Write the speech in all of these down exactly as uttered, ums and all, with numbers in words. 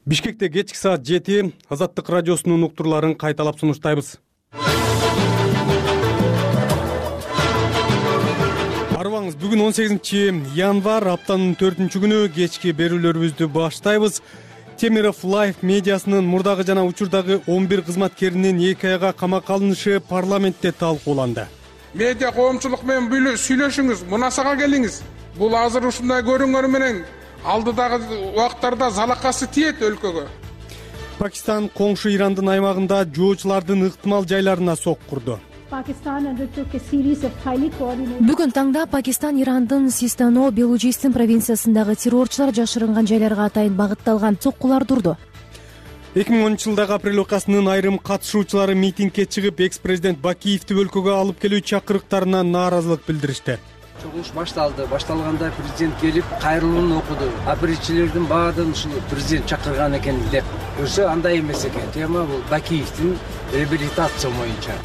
Бишкекте кечки саат жети Азаттык радиосунун уктурларын кайталап сунуштайбыз. Арыбаңыз, бүгүн он сегизинчи январь, аптанын төртүнчү күнү кечки берүүлөрүбүздү баштайбыз. Темиров Лайф медиасынын мурдагы жана учурдагы он бир кызматкеринин эки айга камакка алынышы парламентте талкууланды. Медиа коомчулук менен сүйлөшүңүз, мунасага келиңиз. Бул азыр ушундай көрүнгөнү менен алдыдагы убактарда залакасы тиет өлкөгө. Пакистан коңшу Ирандын аймагында жоочулардын ыктымал жайларына сок курду. Бүгүн таңда Пакистан Ирандын Систано Белужистин провинциясындагы террорчулар жашырынган жайларга атайын багытталган соккулар турду. эки миң онунчу жылдагы апрель окуясынын айрым катышуучулары митингге чыгып, экс-президент Бакиевди өлкөгө алып келүү чакырыктарына нааразылык билдиришти. Чогулуш башталды. Башталганда президент келип кайрылууну окуду. Апрелчилердин баардыгын ушул президент чакырган экен деп. Өзү андай эмес экен. Тема бул Бакиевдин реабилитация боюнча.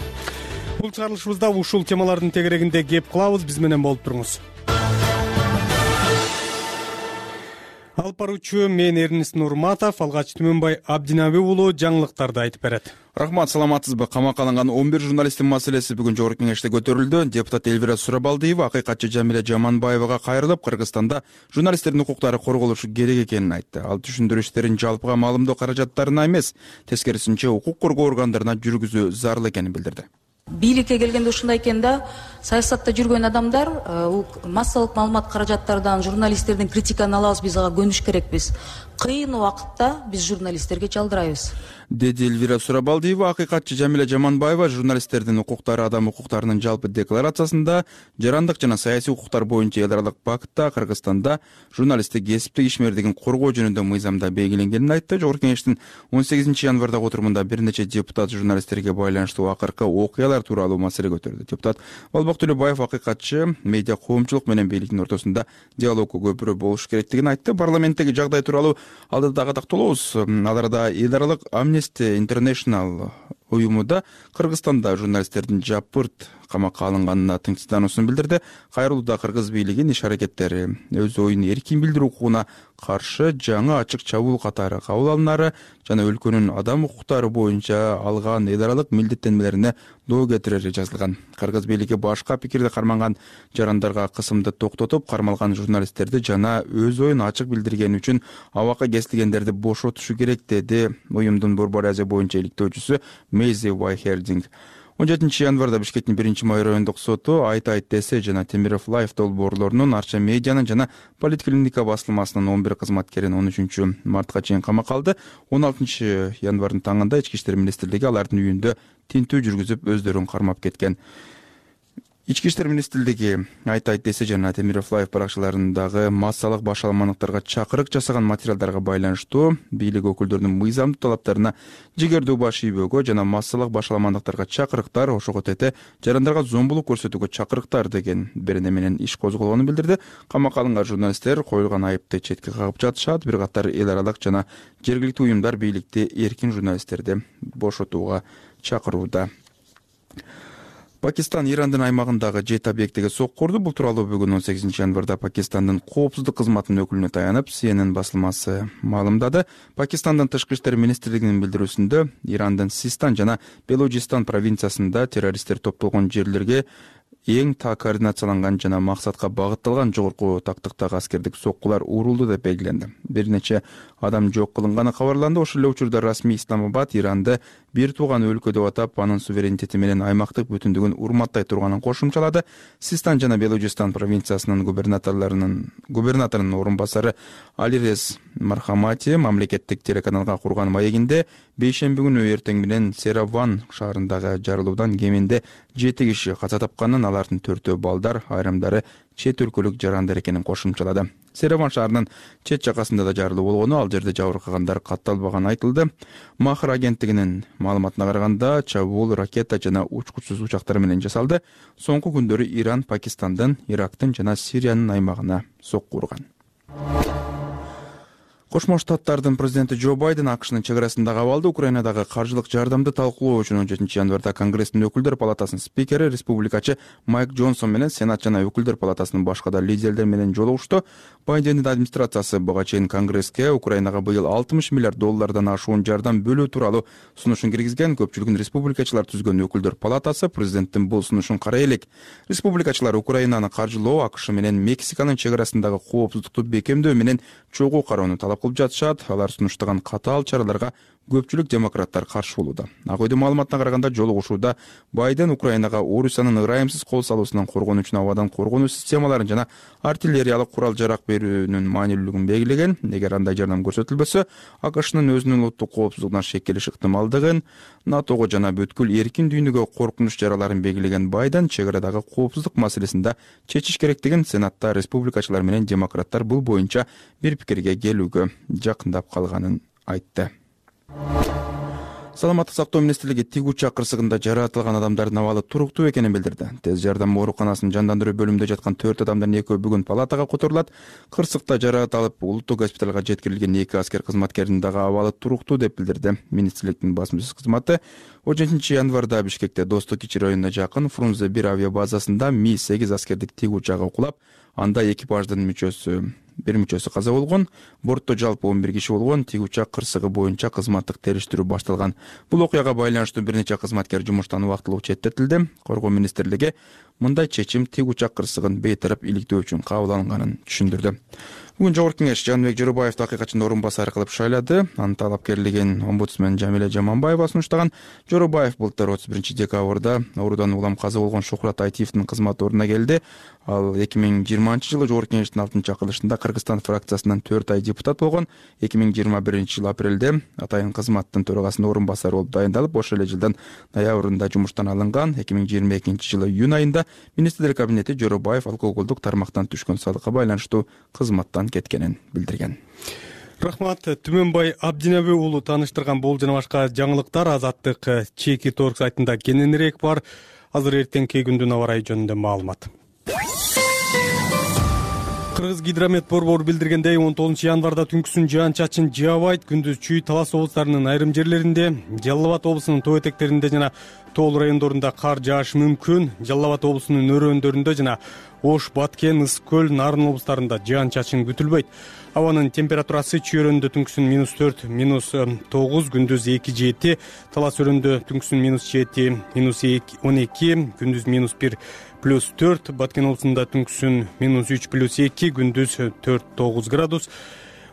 Бул чыгарылышыбызда ушул темалардын тегерегинде кеп кылабыз. Биз менен болуп туруңуз. Алып баруучу мен Эрнис Нурматов, Алгач Түмөнбай Абдинаби уулу жаңылыктарды айтып берет. Рахмат, саламатсызбы? Камакка алынган он бир журналисттин маселеси бүгүн жогорку кеңеште көтөрүлдү. Депутат Элвира Сурабалдиева акыйкатчы Жамиля Жаманбаевага кайрылып, Кыргызстанда журналисттердин укуктары корголушу керек экенин айтты. Ал түшүндүрүү иштерин жалпыга маалымдоо каражаттарына эмес, тескерисинче укук коргоо органдарына жүргүзүү зарыл экенин билдирди. Бийликке келгенде ушундай экен да, саясатта жүргөн адамдар массалык маалымат каражаттардан журналисттердин критиканы алабыз, биз ага көнүш керекпиз. Кыйын убакытта биз журналисттерге жалдырайбыз, деди Элвира Сурабалдиева. Акыйкатчы Жамиля Жаманбаева журналисттердин укуктары адам укуктарынын жалпы декларациясында жарандык жана саясий укуктар боюнча эл аралык пактта Кыргызстанда журналисттик кесиптик ишмердигин коргоо жөнүндө мыйзамда белгиленгенин айтты. Жогорку кеңештин он сегизинчи январдагы отурумунда бир нече депутат журналисттерге байланыштуу акыркы окуялар тууралуу маселе көтөрдү. Депутат Болбок Төлөбаев акыйкатчы медиа коомчулук менен бийликтин ортосунда диалог көпүрө болуш керектигин айтты. Парламенттеги жагдай тууралуу алдыдагы тактоолобуз. Ал арада эл аралык Amnesty International уюмуда Кыргызстанда журналисттердин жапырт камакка алынганына тынчсыздануусун билдирди. Кайрылууда кыргыз бийлигин иш аракеттери өз оюн эркин билдирүү укугуна каршы жаңы ачык чабуул катары кабыл алынары жана өлкөнүн адам укуктары боюнча алган эл аралык милдеттенмелерине доо кетирери жазылган. Кыргыз бийлиги башка пикирди карманган жарандарга кысымды токтотуп, кармалган журналисттерди жана өз оюн ачык билдиргени үчүн абакка кесилгендерди бошотушу керек, деди уюмдун Борбор Азия боюнча иликтөөчүсү Мейзи Вайхердинг. он жетинчи январда Бишкектин биринчи май райондук соту Айт Айт десе жана Темиров Лайф долбоорлорунун Арча медианын жана Политклиника басылмасынын он бир кызматкерин он үчүнчү мартка чейин камакка алды. он алтынчы январдын таңында Ички иштер министрлиги алардын үйүндө тинтүү жүргүзүп өздөрүн кармап кеткен. Ички иштер министрлиги Айт Айт десе жана Темиров Лайф баракчаларындагы массалык башаламандыктарга чакырык жасаган материалдарга байланыштуу бийлик өкүлдөрүнүн мыйзамдуу талаптарына жигердүү баш ийбөөгө жана массалык башаламандыктарга чакырыктар, ошого тете жарандарга зомбулук көрсөтүүгө чакырыктар деген берене менен иш козголгонун билдирди. Камакка алынган журналисттер коюлган айыпты четке кагып жатышат. Бир катар эл аралык жана жергиликтүү уюмдар бийликти эркин журналисттерди бошотууга чакырууда. Пакистан Ирандын аймагындагы жети объектиге сок курду. Бул тууралуу бүгүн он сегизинчи январда Пакистандын коопсуздук кызматынын өкүлүнө таянып Си Эн Эн басылмасы маалымдады. Пакистандын тышкы иштер министрлигинин билдирүүсүндө Ирандын Систан жана Белужистан провинциясында террористтер топтолгон жерлерге эң та координацияланган жана максатка багытталган жогорку тактыктагы аскердик соккулар урулду деп белгиленди. Бир нече адам жок кылынганы кабарланды. Ошол эле учурда расмий Исламабад Иранды бир тууган өлкө деп атап, анын суверенитети менен аймактык бүтүндүгүн урматтай турганын кошумчалады. Систан жана Белужистан провинциясынын губернаторлорунун губернаторунун орун басары Алирез Мархамати мамлекеттик телеканалга курган маегинде бейшемби күнү эртең менен Сераван шаарындагы жарылуудан кеминде жети киши каза тапканын, алардын төртөө балдар, айрымдары чет өлкөлүк жарандар экенин кошумчалады. Сераван шаарынын чет жакасында да жарылуу болгону, ал жерде жабыркагандар катталбаганы айтылды. Махр агенттигинин маалыматына караганда, чабуул ракета жана учкучсуз учактар менен жасалды. Соңку күндөрү Иран Пакистандын, Ирактын жана Сириянын аймагына сокку урган. Кошмо Штаттардын президенти Джо Байден АКШнын чек арасындагы абалды, Украинадагы каржылык жардамды талкуулоо үчүн он жетинчи январда Конгресстин өкүлдөр палатасынын спикери, республикачы Майк Джонсон менен Сенат жана өкүлдөр палатасынын башка да лидерлер менен жолугушту. Байдендин администрациясы буга чейин Конгресске Украинага быйыл алтымыш миллиард доллардан ашуун жардам бөлүү тууралуу сунушун киргизген. Көпчүлүгүн республикачылар түзгөн өкүлдөр палатасы президенттин бул сунушун карай элек. Республикачылар Украинаны каржылоо, АКШ менен Мексиканын чек арасындагы коопсуздукту бекемдөө менен чогуу кароону талап кылып жатышат. Алар сунуштаган катаал чараларга көпчүлүк демократтар каршы болууда. Ак үйдүн маалыматына караганда, жолугушууда Байден Украинага Орусиянын ырайымсыз кол салуусунан коргонуу үчүн абадан коргонуу системаларын жана артиллериялык курал-жарак берүүнүн маанилүүлүгүн белгилеген. Эгер андай жардам көрсөтүлбөсө, АКШнын өзүнүн улуттук коопсуздугуна шекелиш ыктымалдыгын, НАТОго жана бүткүл эркин дүйнөгө коркунуч чараларын белгилеген Байден чек арадагы коопсуздук маселесинде чечиш керектигин Сенатта республикачылар менен демократтар бул боюнча бир пикирге келүүгө жакындап калганын айтты. Саламаттык сактоо министрлиги тиг учак кырсыгында жаратылган адамдардын абалы туруктуу экенин билдирди. Тез жардам ооруканасынын жандандыруу бөлүмүндө жаткан төрт адамдын экөө бүгүн палатага которулат. Кырсыкта жараат алып, улуттук госпиталга жеткирилген эки аскер кызматкеринин дагы абалы туруктуу деп билдирди министрликтин басма сөз кызматы. он жетинчи январда Бишкекте Достук Кичи районуна жакын Фрунзе бир авиабазасында Ми сегиз аскердик тиг учагы кулап, анда экипаждын мүчөсү бир мүчөсү каза болгон. Бортто жалпы он бир киши болгон. Тиг учак кырсыгы боюнча кызматтык териштирүү башталган. Бул окуяга байланыштуу бир нече кызматкер жумуштан убактылуу четтетилди. Коргоо министрлиги мындай чечим тиг учак кырсыгын бейтарап иликтөө үчүн кабыл алынганын түшүндүрдү. Бүгүн Жогорку кеңеш Жаныбек Жорубаевди акыйкатчынын орун басары кылып шайлады. Анын талапкерлигин омбудсмен Жамиле Жаманбаева сунуштаган. Жорубаев былтыр отуз биринчи декабрда оорудан улам каза болгон Шухрат Айтиевдин кызмат ордуна келди. Ал эки миң жыйырманчы жылы Жогорку кеңештин алтынчы чакырылышында Кыргызстан фракциясынан төрт ай депутат болгон. эки миң жыйырма биринчи жылы апрелде атайын кызматтын төрагасынын орун басары болуп дайындалып, ошол эле жылдын ноябрында жумуштан алынган. эки миң жыйырма экинчи жылы июнь айында министрлер кабинети Жорубаев алкоголдук тармактан түшкөн салыкка байланыштуу кызматтан кеткенин билдирген. Рахмат. Түмөнбай Абдинеби уулу тааныштырган бул жана башка жаңылыктар Азаттык Чеки Торг сайтында кененирээк бар. Азыр эртеңки күндүн аба ырайы жөнүндө маалымат. Кыргыз гидромет борбору билдиргендей, он тогузунчу январда түнкүсүн жаан-чачын жаабайт. Күндүз Чүй, Талас облустарынын айрым жерлеринде, Жалал Абад облусунун тоо этектеринде жана Тоол райондорунда кар жаашы мүмкүн. Жалал Абад облусунун өрөөндөрүндө жана Ош, Баткен, Ысык көл, Нарын облустарында жаан-чачын күтүлбөйт. Абанын температурасы Чүй өрөөндө түнкүсүн минус төрт, минус тогуз, күндүз эки жети, Талас өрөөндө түнкүсүн минус жети, минус он эки, күндүз минус бир, плюс төрт, Баткен облусунда түнкүсүн минус үч, плюс эки, күндүз төрт, тогуз градус.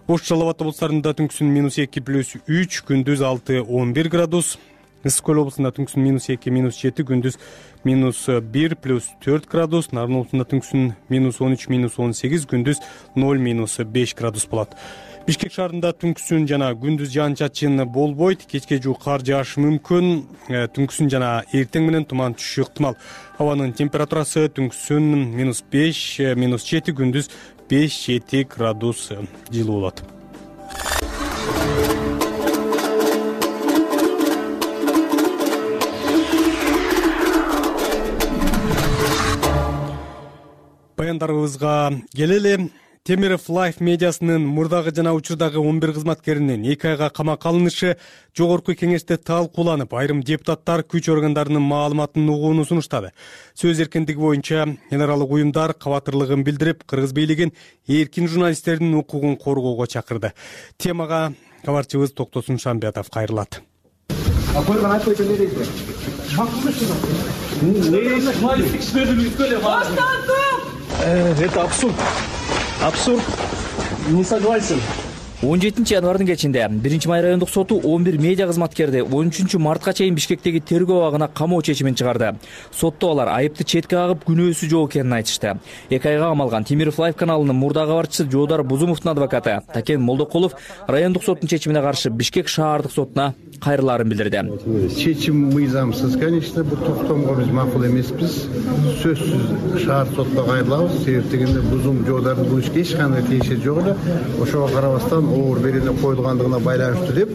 Ош, Жалал Абад облустарында түнкүсүн минус эки, плюс үч, күндүз алты, он бир градус. Ысык көл облусунда түнкүсүн минус эки, минус жети, күндүз минус бир, плюс төрт градус. Нарын облусунда түнкүсүн минус он үч, минус он сегиз, күндүз ноль, минус беш градус болот. Бишкек шаарында түнкүсүн жана күндүз жаан-чачын болбойт. Кечке жуук кар жаашы мүмкүн. Түнкүсүн жана эртең менен туман түшүшү ыктымал. Абанын температурасы түнкүсүн минус беш, минус жети, күндүз беш, жети градус жылуу болот. Баяндарыбызга келели. Темиров Life медиасынын мурдагы жана учурдагы он бир кызматкеринин эки айга камакка алынышы Жогорку кеңеште талкууланып, айрым депутаттар күч органдарынын маалыматын угууну сунуштады. Сөз эркиндиги боюнча генералдык уюмдар кабатырлыгын билдирип, кыргыз бийлигин эркин журналисттердин укугун коргоого чакырды. Темага кабарчыбыз Токтосун Шамбиятов кайрылат. Это абсурд. Абсурд. Не согласен. он жетинчи январдын кечинде биринчи май райондук соту он бир медиа кызматкерди он үчүнчү мартка чейин Бишкектеги тергөө абагына камоо чечимин чыгарды. Сотто алар айыпты четке кагып, күнөөсү жок экенин айтышты. эки айга камалган Темиров Life каналынын мурда кабарчысы Жоодар Бузумовдун адвокаты Такен Молдокулов райондук соттун чечимине каршы Бишкек шаардык сотуна кайрылаарын билдирди. Чечим мыйзамсыз, конечно, бул токтомго биз макул эмеспиз. Сөзсүз шаар сотто кайрылабыз. Себеп дегенде Бузум Жоодардын бул ишке эч кандай тиешеси жок эле. Ошого карабастан оор берилип коюлгандыгына байланыштуу деп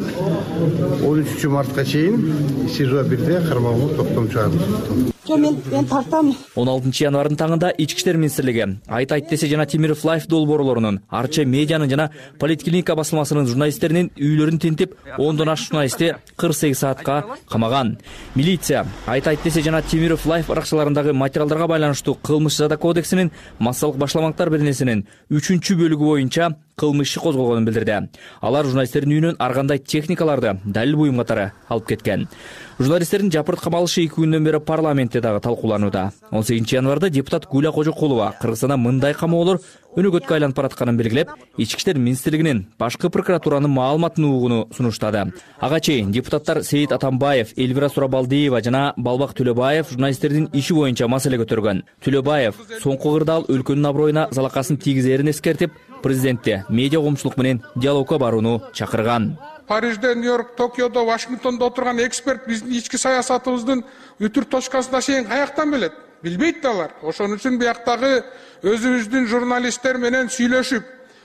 он үчүнчү мартка чейин СИЖО бирде кармоого токтом чыгарды. жок, мен мен тартам. он алтынчы январдын таңында Ички иштер министрлиги Айт айт десе жана Темиров Лайф долбоорлорунун, Арча медианын жана Политклиника басылмасынын журналисттеринин үйлөрүн тинтип, ондон ашык журналистти кырк сегиз саатка камаган. Милиция Айт айт десе жана Темиров Лайф аракчаларындагы материалдарга байланыштуу кылмыш жаза кодексинин массалык башламактар беренесинин үчүнчү бөлүгү боюнча кылмыш иши козголгонун билдирди. Алар журналисттердин үйүнөн ар кандай техникаларды, далил буюм катары алып кеткен. Журналисттердин жапырт камалышы эки күндөн бери парламентте дагы талкууланууда. он сегизинчи январда депутат Гүлә Кожокулова Кыргызстанда мындай камоолор өнөгөткө айланып баратканын белгилеп, Ички иштер министрлигинин башкы прокуратуранын маалыматын угууну сунуштады. Ага чейин депутаттар Сейит Атамбаев, Элвира Сурабалдиева жана Балбак Төлөбаев журналисттердин иши боюнча маселе көтөргөн. Төлөбаев соңку кырдаал өлкөнүн аброюна залакасын тийгизерин эскертип, президентти медиа коомчулук менен диалогко барууну чакырган. Парижде, Нью-Йорк, Токиодо, Вашингтондо отурган эксперт биздин ички саясатыбыздын үтүр точкасына чейин каяктан билет? Билбейт да алар. Ошон үчүн бияктагы өзүбүздүн журналисттер менен сүйлөшүп,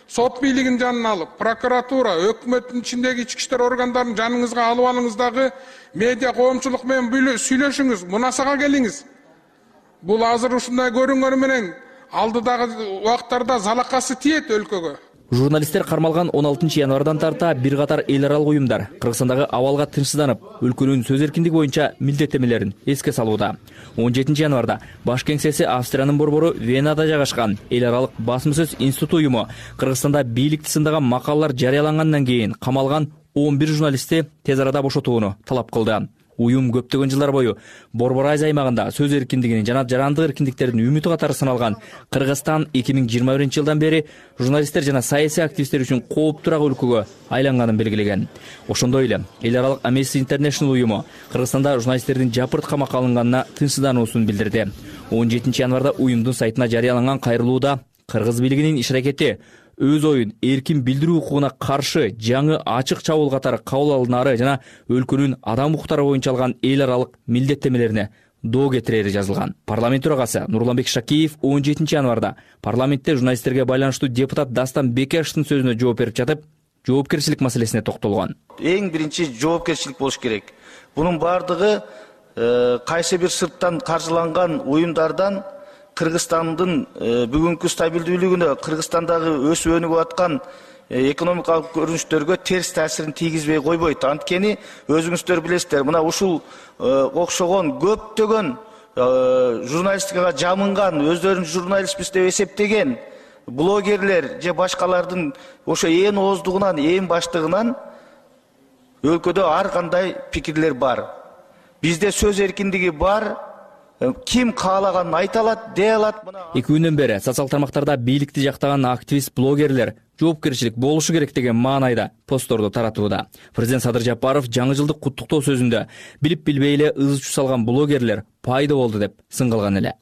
сот бийлигин жанына алып, прокуратура, өкмөттүн ичиндеги ички иштер органдарын жаныңызга алып алыңыз дагы медиа коомчулук менен сүйлөшүңүз, мунасага келиңиз. Бул азыр ушундай көрүнгөнү менен алдыдагы убакыттарда залакасы тиет өлкөгө. Журналисттер кармалган он алтынчы январдан тарта бир катар эл аралык уюмдар Кыргызстандагы абалга тынчсызданып, өлкөнүн сөз эркиндиги боюнча милдеттенмелерин эске салууда. он жетинчи январда баш кеңсеси Австриянын борбору Венада жайгашкан эл аралык басма сөз институту уюму Кыргызстанда бийликти сындаган макалалар жарыялангандан кийин камалган он бир журналистти тез арада бошотууну талап кылды. Уюм көптөгөн жылдар бою Борбор Азия аймагында сөз эркиндигинин жана жарандык эркиндиктердин үмүтү катары саналган Кыргызстан эки миң жыйырма биринчи жылдан бери журналисттер жана саясий активисттер үчүн кооптуураак өлкөгө айланганын белгилеген. Ошондой эле эл аралык Amnesty International уюму Кыргызстанда журналисттердин жапырт камакка алынганына тынчсыздануусун билдирди. он жетинчи январда уюмдун сайтына жарыяланган кайрылууда кыргыз бийлигинин иш аракети өз оюн эркин билдирүү укугуна каршы жаңы ачык чабуул катары кабыл алынары жана өлкөнүн адам укуктары боюнча алган эл аралык милдеттенмелерине доо кетирери жазылган. Парламент төрагасы Нурланбек Шакиев он жетинчи январда парламентте журналисттерге байланыштуу депутат Дастан Бекешевдин сөзүнө жооп берип жатып, жоопкерчилик маселесине токтолгон. Эң биринчи жоопкерчилик болуш керек. Бунун бардыгы кайсы бир сырттан каржыланган уюмдардан Кыргызстандын бүгүнкү стабилдүүлүгүнө, Кыргызстандагы өсүп өнүгүп аткан экономикалык көрүнүштөргө терс таасирин тийгизбей койбойт. Анткени өзүңүздөр билесиздер, мына ушул окшогон көптөгөн журналистикага жамынган, өздөрүн журналистпиз деп эсептеген блогерлер же башкалардын ошо ээн ооздугунан, ээн баштыгынан өлкөдө ар кандай пикирлер бар. Бизде сөз эркиндиги бар. Ким каалаганын айта алат, дей алат. Эки күндөн бери социал тармактарда бийликти жактаган активист блогерлер жоопкерчилик болушу керек деген маанайда постторду таратууда. Президент Садыр Жапаров жаңы жылдык куттуктоо сөзүндө билип билбей эле ыз чуу салган блогерлер пайда болду деп сын кылган эле.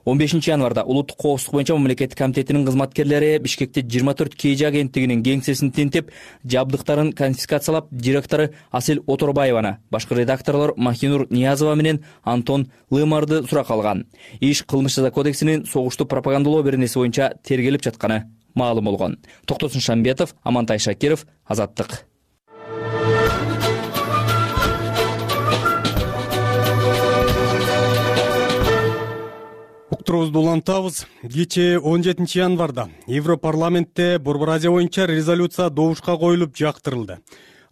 он бешинчи январда улуттук коопсуздук боюнча мамлекеттик комитетинин кызматкерлери Бишкекте жыйырма төрт кей жи агенттигинин кеңсесин тинтип, жабдыктарын конфискациялап, директору Асел Оторбаеваны, башкы редакторлор Махинур Ниязова менен Антон Лымарды суракка алган. Иш кылмыш жаза кодексинин согушту пропагандалоо беренеси боюнча тергелип жатканы маалым болгон. Токтосун Шамбетов, Амантай Шакиров, Азаттык. Уктурубузду улантабыз. Кечээ он жетинчи январда Европарламентте Борбор Азия боюнча резолюция добушка коюлуп жактырылды.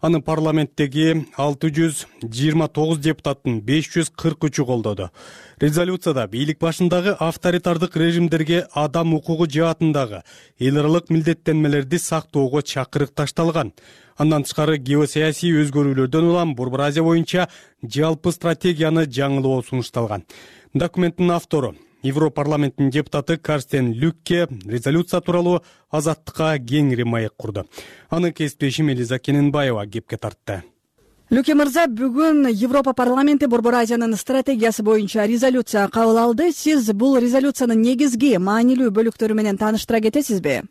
Аны парламенттеги алты жүз жыйырма тогуз депутаттын беш жүз кырк үчү колдоду. Резолюцияда бийлик башындагы авторитардык режимдерге адам укугу жаатындагы эл аралык милдеттенмелерди сактоого чакырык ташталган. Андан тышкары геосаясий өзгөрүүлөрдөн улам Борбор Азия боюнча жалпы стратегияны жаңылоо сунушталган. Документтин автору Европарламенттин депутаты Карстен Люкке резолюция тууралуу Азаттыкка кеңири маек курду. Аны кесиптешим Элиза Кененбаева кепке тартты. Люке мырза, бүгүн Европа парламенти Борбор Азиянын стратегиясы боюнча резолюция кабыл алды. Сиз бул резолюциянын негизги маанилүү бөлүктөрү менен тааныштыра кетесизби?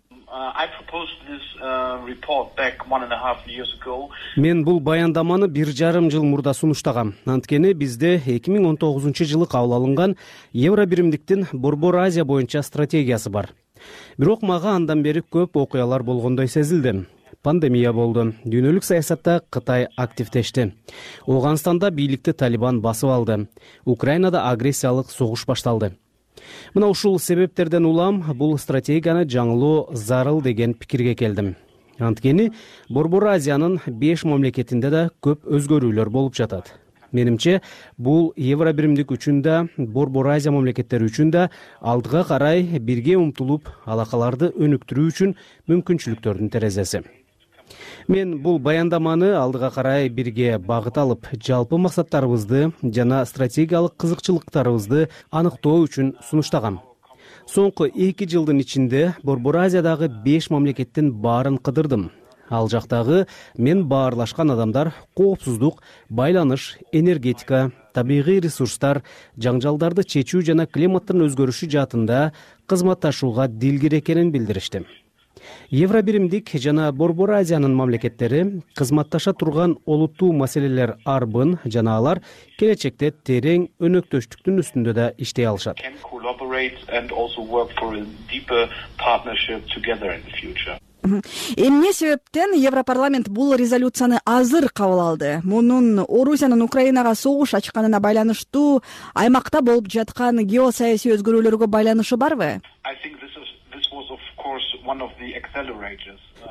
Мен бул баяндаманы бир жарым жыл мурда сунуштагам. Анткени бизде эки миң он тогузунчу жылы кабыл алынган Евро биримдиктин Борбор Азия боюнча стратегиясы бар. Бирок мага андан бери көп окуялар болгондой сезилди. пандемия болду. Дүйнөлүк саясатта Кытай активдешти. Ооганстанда бийликти Талибан басып алды. Украинада агрессиялык согуш башталды. Мына ушул себептерден улам бул стратегияны жаңылоо зарыл деген пикирге келдим. Анткени Борбор Азиянын беш мамлекетинде да көп өзгөрүүлөр болуп жатат. Менимче, бул Евро биримдик үчүн да, Борбор Азия мамлекеттери үчүн да алдыга карай бирге умтулуп, алакаларды өнүктүрүү үчүн мүмкүнчүлүктөрдүн терезеси. Мен бул баяндаманы алдыга карай бирге багыт алып, жалпы максаттарыбызды жана стратегиялык кызыкчылыктарыбызды аныктоо үчүн сунуштагам. Соңку эки жылдын ичинде Борбор Азиядагы беш мамлекеттин баарын кыдырдым. Ал жактагы мен баарлашкан адамдар коопсуздук, байланыш, энергетика, табигый ресурстар, жаңжалдарды чечүү жана климаттын өзгөрүшү жаатында кызматташууга дилгир экенин билдиришти. Евро биримдик жана Борбор Азиянын мамлекеттери кызматташа турган олуттуу маселелер арбын жана алар келечекте терең өнөктөштүктүн үстүндө да иштей алышат. Эмне себептен Европарламент бул резолюцияны азыр кабыл алды? Мунун Орусиянын Украинага согуш ачканына байланыштуу аймакта болуп жаткан геосаясий өзгөрүүлөргө байланышы барбы?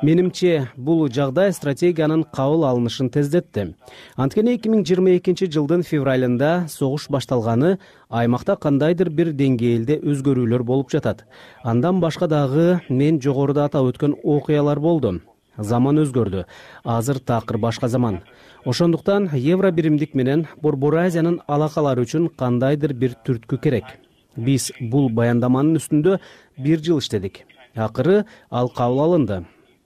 Менимче, бул жагдай стратегиянын кабыл алынышын тездетти. Анткени эки миң жыйырма экинчи жылдын февралында согуш башталганы аймакта кандайдыр бир деңгээлде өзгөрүүлөр болуп жатат. Андан башка дагы мен жогоруда атап өткөн окуялар болду. Заман өзгөрдү. Азыр такыр башка заман. Ошондуктан Евро биримдик менен Борбор Азиянын алакалары үчүн кандайдыр бир түрткү керек. Биз бул баяндаманын үстүндө бир жыл иштедик. Акыры ал кабыл алынды.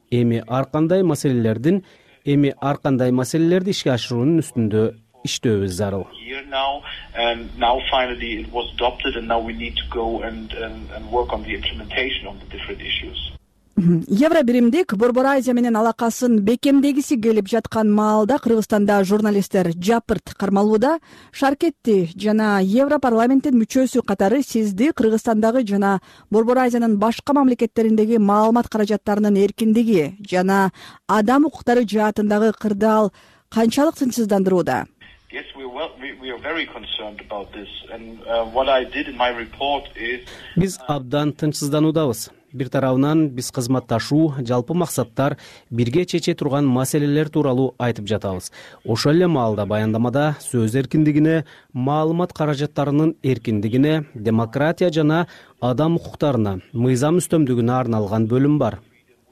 Эми ар кандай маселелердин, эми ар кандай маселелерди ишке ашыруунун үстүндө иштөөбүз зарыл. Евро биримдик Борбор Азия менен алакасын бекемдегиси келип жаткан маалда Кыргызстанда журналисттер жапырт кармалууда. Шаркетти жана Европарламенттин мүчөсү катары сизди Кыргызстандагы жана Борбор Азиянын башка мамлекеттериндеги маалымат каражаттарынын эркиндиги жана адам укуктары жаатындагы кырдаал канчалык тынчсыздандырууда? Биз абдан тынчсыздануудабыз. Бир тарабынан биз кызматташуу, жалпы максаттар, бирге чече турган маселелер тууралуу айтып жатабыз. Ошол эле маалда баяндамада сөз эркиндигине, маалымат каражаттарынын эркиндигине, демократия жана адам укуктарына, мыйзам үстөмдүгүнө арналган бөлүм бар.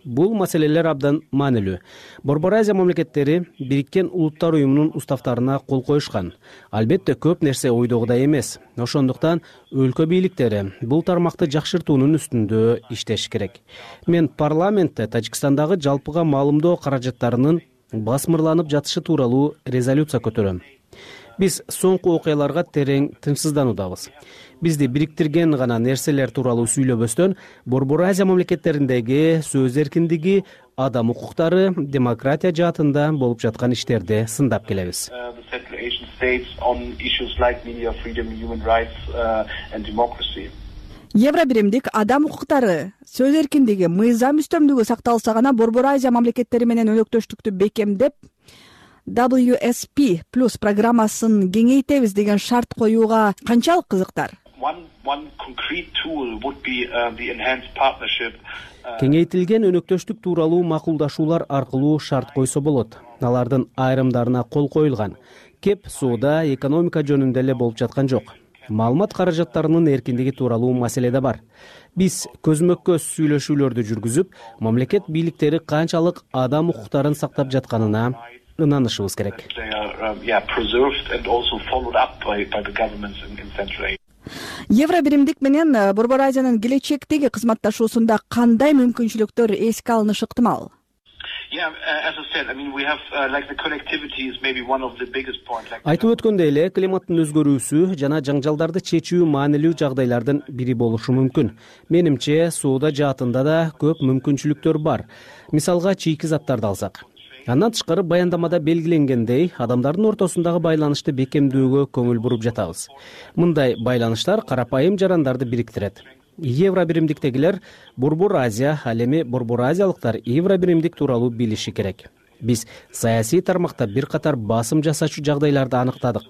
Бул маселелер абдан маанилүү. Борбор Азия мамлекеттери Бириккен Улуттар уюмунун уставтарына кол коюшкан. Албетте көп нерсе ойдогудай эмес. Ошондуктан өлкө бийликтери бул тармакты жакшыртуунун үстүндө иштеш керек. Мен парламентте Тажикстандагы жалпыга маалымдоо каражаттарынын басмырланып жатышы тууралуу резолюция көтөрөм. Биз соңку окуяларга терең тынчсыздануудабыз. Бизди бириктирген гана нерселер тууралуу сүйлөбөстөн, Борбор Азия мамлекеттериндеги сөз эркиндиги, адам укуктары, демократия жаатында болуп жаткан иштерди сындап келебиз. Евро биримдик адам укуктары, сөз эркиндиги, мыйзам үстөмдүгү сакталса гана Борбор Азия мамлекеттери менен өнөктөштүктү бекемдеп, дабл ю эс пи плюс программасын кеңейтебиз деген шарт коюуга канчалык кызыктар? Кеңейтилген өнөктөштүк тууралуу макулдашуулар аркылуу шарт койсо болот. Алардын айрымдарына кол коюлган. Кеп соода, экономика жөнүндө эле болуп жаткан жок. Маалымат каражаттарынын эркиндиги тууралуу маселе да бар. Биз көзмө-көз сүйлөшүүлөрдү жүргүзүп, мамлекет бийликтери канчалык адам укуктарын сактап жатканына ынанышыбыз керек. Евро биримдик менен Борбор Азиянын келечектеги кызматташуусунда кандай мүмкүнчүлүктөр эске алынышы ыктымал? Айтып өткөндөй эле, климаттын өзгөрүүсү жана жаңжалдарды чечүү маанилүү жагдайлардын бири болушу мүмкүн. Менимче, соода жаатында да көп мүмкүнчүлүктөр бар. Мисалга, чийки заттарды алсак. Андан тышкары баяндамада белгиленгендей, адамдардын ортосундагы байланышты бекемдөөгө көңүл буруп жатабыз. Мындай байланыштар карапайым жарандарды бириктирет. Евро биримдиктегилер Борбор Азия, ал эми Борбор Азиялыктар Евро биримдик тууралуу билиши керек. Биз саясий тармакта бир катар басым жасачу жагдайларды аныктадык.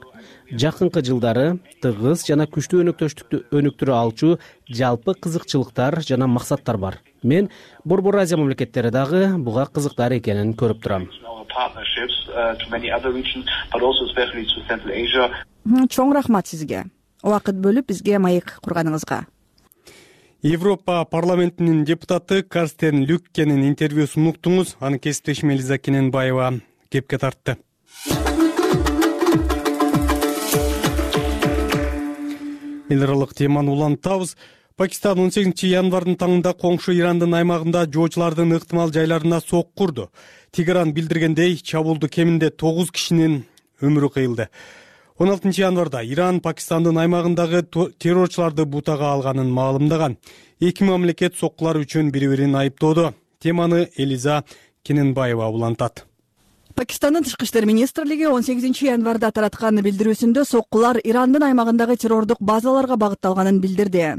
Жакынкы жылдары тыгыз жана күчтүү өнөктөштүктү өнүктүрө алчу жалпы кызыкчылыктар жана максаттар бар. Мен Борбор Азия мамлекеттери дагы буга кызыктар экенин көрүп турам. Чоң рахмат сизге. Убакыт бөлүп бизге маек курганыңызга. Европа парламентинин депутаты Карстен Люккенин интервьюсун уктуңуз. Аны кесиптешим Элиза Кененбаева кепке тартты. Эл аралык теманы улантабыз. Пакистан он сегизинчи январдын таңында коңшу Ирандын аймагында жоочулардын ыктымал жайларына сок курду. Тегеран билдиргендей, чабуулду кеминде тогуз кишинин өмүрү кыйылды. он алтынчы январда Иран Пакистандын аймагындагы террорчуларды бутага алганын маалымдаган. Эки мамлекет соккулар үчүн бири-бирин айыптоодо. Теманы Элиза Кененбаева улантат. Пакистандын тышкы иштер министрлиги он сегизинчи январда тараткан билдирүүсүндө соккулар Ирандын аймагындагы террордук базаларга багытталганын билдирди.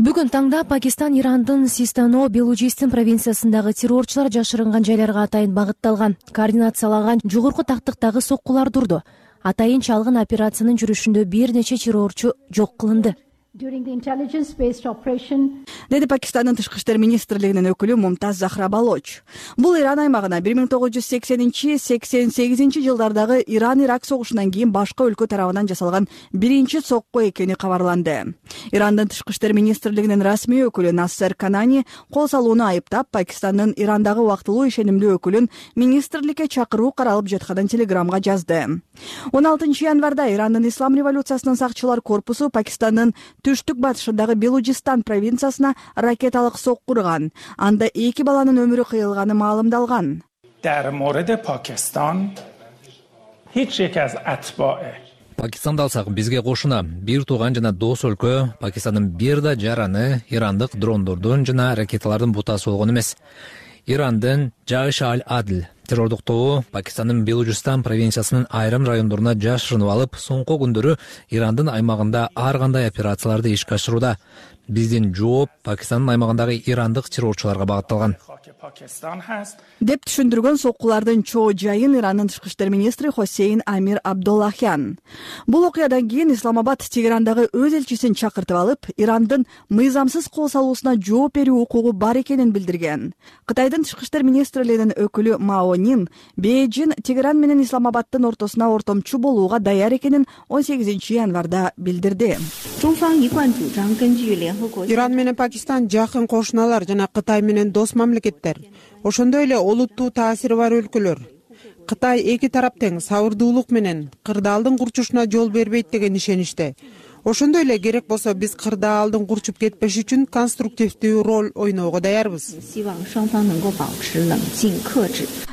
Бүгүн таңда Пакистан Ирандын Систано Белужистин провинциясындагы террорчулар жашырынган жайларга атайын багытталган, координациялаган жогорку тактыктагы соккулар турду. Атайын чалгын операциянын жүрүшүндө бир нече террорчу жок кылынды. Деди Пакистандын тышкы иштер министрлигинин өкүлү Мумтаз Захра Балоч. Бул Иран аймагына бир миң тогуз жүз сексенинчи — сексен сегизинчи жылдардагы Иран-Ирак согушунан кийин башка өлкө тарабынан жасалган биринчи сокку экени кабарланды. Ирандын тышкы иштер министрлигинин расмий өкүлү Нассер Канани кол салууну айыптап, Пакистандын Ирандагы убактылуу ишенимдүү өкүлүн министрликке чакыруу каралып жатканын телеграмга жазды. он алтынчы январда Ирандын Ислам революциясынын сакчылар корпусу Пакистандын түштүк батышындагы Белужистан провинциясына ракеталык сок курган. Анда эки баланын өмүрү кыйылганы маалымдалган. Пакистанды алсак, бизге кошуна бир тууган жана дос өлкө Пакистандын бир да жараны ирандык дрондордун жана ракеталардын бутасы болгон эмес. Ирандын Жайш аль-Адл террордук тобу Пакистандын Белужистан провинциясынын айрым райондоруна жашырынып алып, соңку күндөрү Ирандын аймагында ар кандай операцияларды ишке ашырууда. Биздин жооп Пакистандын аймагындагы ирандык террорчуларга багытталган. Деп түшүндүргөн соккулардын чоо жайын Ирандын тышкы иштер министри Хосейн Амир Абдуллахян. Бул окуядан кийин Исламабад Тегерандагы өз элчисин чакыртып алып, Ирандын мыйзамсыз кол салуусуна жооп берүү укугу бар экенин билдирген. Кытайдын тышкы иштер министрлигинин өкүлү Мао Нин Бейжин Тегеран менен Исламабадтын ортосуна ортомчу болууга даяр экенин он сегизинчи январда билдирди. Иран менен Пакистан жакын кошуналар жана Кытай менен дос мамлекеттер. Ошондой эле олуттуу таасири бар өлкөлөр. Кытай эки тарап тең сабырдуулук менен кырдаалдын курчушуна жол бербейт деген ишеничте. Ошондой эле керек болсо биз кырдаалдын курчуп кетпеш үчүн конструктивдүү роль ойноого даярбыз.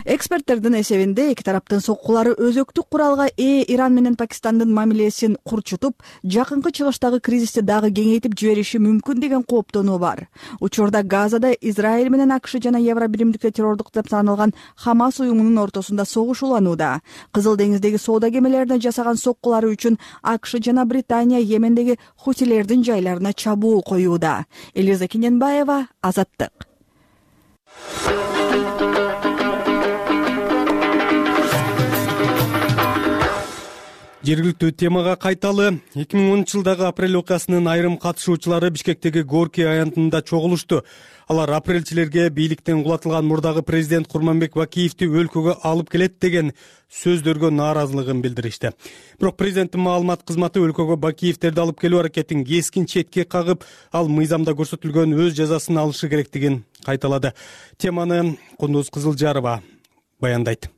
Эксперттердин эсебинде эки тараптын соккулары өзөктүк куралга ээ Иран менен Пакистандын мамилесин курчутуп, жакынкы чыгыштагы кризисти дагы кеңейтип жибериши мүмкүн деген кооптонуу бар. Учурда Газада Израиль менен АКШ жана Евро биримдикте террордук деп саналган Хамас уюмунун ортосунда согуш уланууда. Кызыл деңиздеги соода кемелерине жасаган соккулары үчүн АКШ жана Британия Йемендеги хутилердин жайларына чабуул коюуда. Элиза Кененбаева, Азаттык. Жергиликтүү темага кайталы. эки миң онунчу жылдагы апрель окуясынын айрым катышуучулары Бишкектеги Горький аянтында чогулушту. Алар апрелчилерге бийликтен кулатылган мурдагы президент Курманбек Бакиевди өлкөгө алып келет деген сөздөргө нааразылыгын билдиришти. Бирок президенттин маалымат кызматы өлкөгө Бакиевдерди алып келүү аракетин кескин четке кагып, ал мыйзамда көрсөтүлгөн өз жазасын алышы керектигин кайталады. Теманы Кундуз Кызылжарова баяндайт.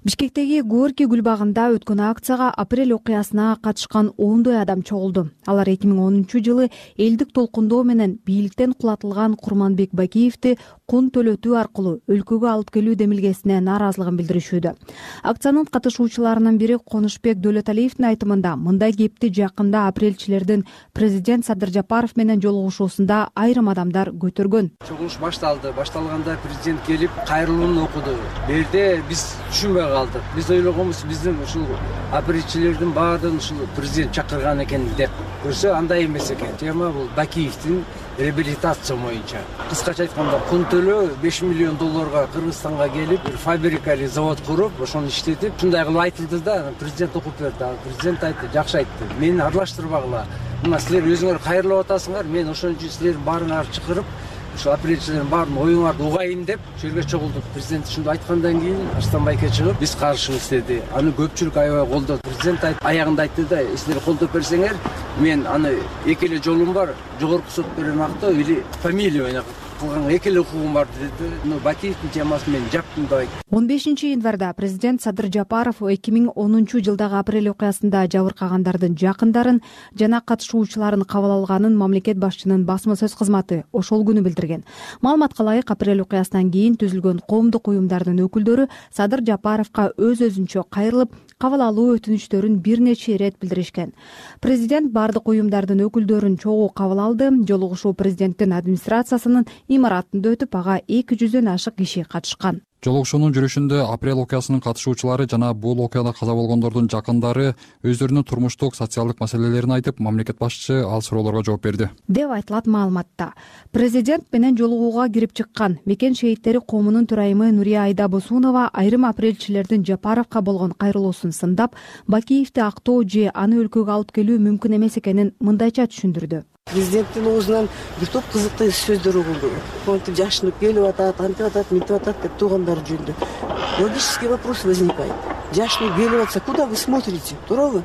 Бишкектеги Горький гүл багында өткөн акцияга апрель окуясына катышкан ондой адам чогулду. Алар эки миң онунчу жылы элдик толкундоо менен бийликтен кулатылган Курманбек Бакиевди кун төлөтүү аркылуу өлкөгө алып келүү демилгесине нааразылыгын билдиришүүдө. Акциянын катышуучуларынын бири Конушбек Дөлөталиевдин айтымында мындай кепти жакында апрельчилердин президент Садыр Жапаров менен жолугушуусунда айрым адамдар көтөргөн. Чогулуш башталды. Башталганда президент келип кайрылуун окуду. Бул жерде биз түшүнбөй калдык. Биз ойлогонбуз биздин ушул апрелчилердин баардыгын ушул президент чакырган экен деп. Көрсө андай эмес экен. Тема бул Бакиевдин реабилитация боюнча. Кыскача айтканда кун төлөө беш миллион долларга Кыргызстанга келип, бир фабрика или завод куруп, ошону иштетип, ушундай кылып айтылды да, президент окуп берди. Президент айтты, жакшы айтты. Мени аралаштырбагыла. Мына силер өзүңөр кайрылып атасыңар, мен ошон үчүн силердин баарыңарды чакырып, ушул апрелчилердин баарын оюңарды угайын деп жерге чогулдук. Президент ушунду айткандан кийин Арстан Байке чыгып, биз каршыбыз деди. Аны көпчүлүк аябай колдоду. Президент аягында айтты да, силер колдоп берсеңер, мен аны эки эле жолум бар, жогорку сот берен актоо или фамилия менен кылган эки эле укугум бар деди. Но Бакиевдин темасын мен жаптым деп айтты. он бешинчи январда президент Садыр Жапаров эки миң онунчу жылдагы апрель окуясында жабыркагандардын жакындарын жана катышуучуларын кабыл алганын мамлекет башчынын басма сөз кызматы ошол күнү билдирген. Маалыматка ылайык, апрель окуясынан кийин түзүлгөн коомдук уюмдардын өкүлдөрү Садыр Жапаровго өз-өзүнчө кайрылып, кабыл алуу өтүнүчтөрүн бир нече ирет билдиришкен. Президент бардык уюмдардын өкүлдөрүн чогуу кабыл алды. Жолугушуу президенттин администрациясынын имаратында өтүп, ага эки жүздөн ашык киши катышкан. Жолугушуунун жүрүшүндө апрель окуясынын катышуучулары жана бул окуяда каза болгондордун жакындары өздөрүнүн турмуштук, социалдык маселелерин айтып, мамлекет башчысы ал суроолорго жооп берди деп айтылат маалыматта. Президент менен жолугууга кирип чыккан Мекен шейиттери коомунун төрайымы Нурия Айда Босунова айрым апрелчилердин Жапаровго болгон кайрылуусун сындап, Бакиевди актоо же аны өлкөгө алып келүү мүмкүн эмес экенин мындайча түшүндүрдү. Президенттин оозунан бир топ кызыктуу сөздөр угулду. Монтип жашынып келип атат, антип атат, мынтип атат деп туугандар жөнүндө. Логический вопрос возникает. Жашынып келип атса, куда вы смотрите? Туурабы?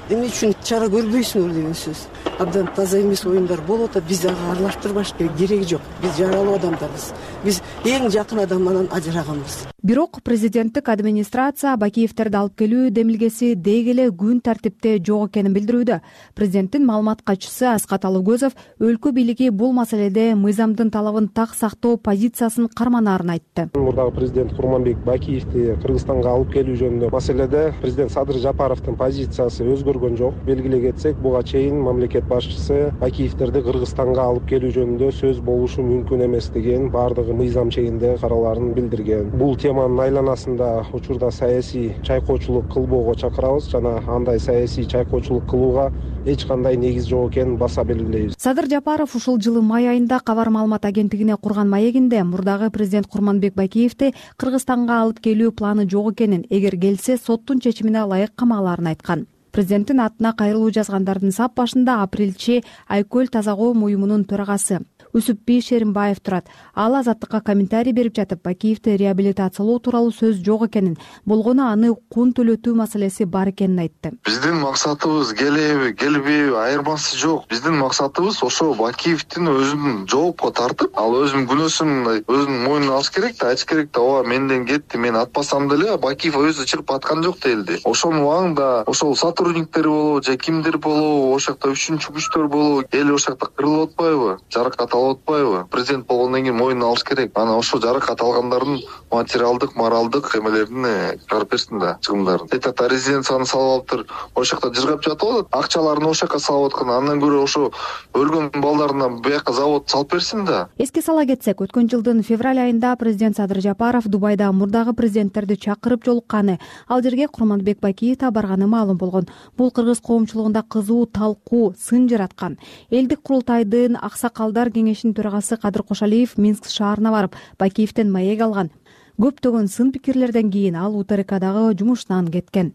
Эмне үчүн чара көрбөйсүңөр деген сөз. Абдан таза эмес оюндар болуп атат, биз ага аралаштырбаш кереги жок. Биз жаралуу адамдарбыз. Биз эң жакын адамынан ажыраганбыз. Бирок президенттик администрация Бакиевтерди алып келүү демилгеси деги эле күн тартипте жок экенин билдирүүдө. Президенттин маалымат катчысы Аскат Алыгөзов өлкө бийлиги бул маселеде мыйзамдын талабын так сактоо позициясын карманаарын айтты. Мурдагы президент Курманбек Бакиевди Кыргызстанга алып келүү жөнүндө маселеде президент Садыр Жапаровдун позициясы өзгөргөн жок. Белгилей кетсек, буга чейин мамлекет башчысы Бакиевтерди Кыргызстанга алып келүү жөнүндө сөз болушу мүмкүн эмес деген бардыгы мыйзам чегинде караларын билдирген. Бул теманын айланасында учурда саясий чайкоочулук кылбоого чакырабыз жана андай саясий чайкоочулук кылууга эч кандай негиз жок экенин баса белгилейбиз. Садыр Жапаров ушул жылы май айында Кабар маалымат агенттигине курган маегинде мурдагы президент Курманбек Бакиевди Кыргызстанга алып келүү планы жок экенин, эгер келсе соттун чечимине ылайык камааларын айткан. Президенттин атына кайрылуу жазгандардын сап башында апрелчи Айкөл таза коом уюмунун төрагасы Үсүпби Шеримбаев турат. Ал Азаттыкка комментарий берип жатып, Бакиевди реабилитациялоо тууралуу сөз жок экенин, болгону аны кун төлөтүү маселеси бар экенин айтты. Биздин максатыбыз келеби, келбеби айырмасы жок. Биздин максатыбыз ошо Бакиевдин өзүн жоопко тартып, ал өзүнүн күнөөсүн өзүнүн мойнуна алыш керек да, айтыш керек да, ооба менден кетти, мен атпасам деле Бакиев өзү чыгып аткан жок делди. Ошонун убагында ошол сотрудниктер болобу же кимдир болобу, ошол жакта үчүнчү күчтөр болобу, эл ошол жакта кырылып атпайбы, жаракат алып атпайбы? Президент болгондон кийин мойнуна алыш керек. Анан ошол жаракат алгандардын материалдык, моралдык эмелерин чыгарып берсин да, чыгымдарын. Айтат, резиденцияны салып алыптыр, ошол жакта жыргап жатып атат, акчаларын ошол жака салып аткан. Андан көрө ошо өлгөн балдарына бияка завод салып берсин да. Эске сала кетсек, өткөн жылдын февраль айында президент Садыр Жапаров Дубайда мурдагы президенттерди чакырып жолукканы, ал жерге Курманбек Бакиев да барганы маалым болгон. Бул кыргыз коомчулугунда кызуу талкуу, сын жараткан. Элдик курултайдын аксакалдар кеңешинин төрагасы Кадыр Кошалиев Минск шаарына барып, Бакиевден маек алган. Көптөгөн сын пикирлерден кийин ал УТРКдагы жумушунан кеткен.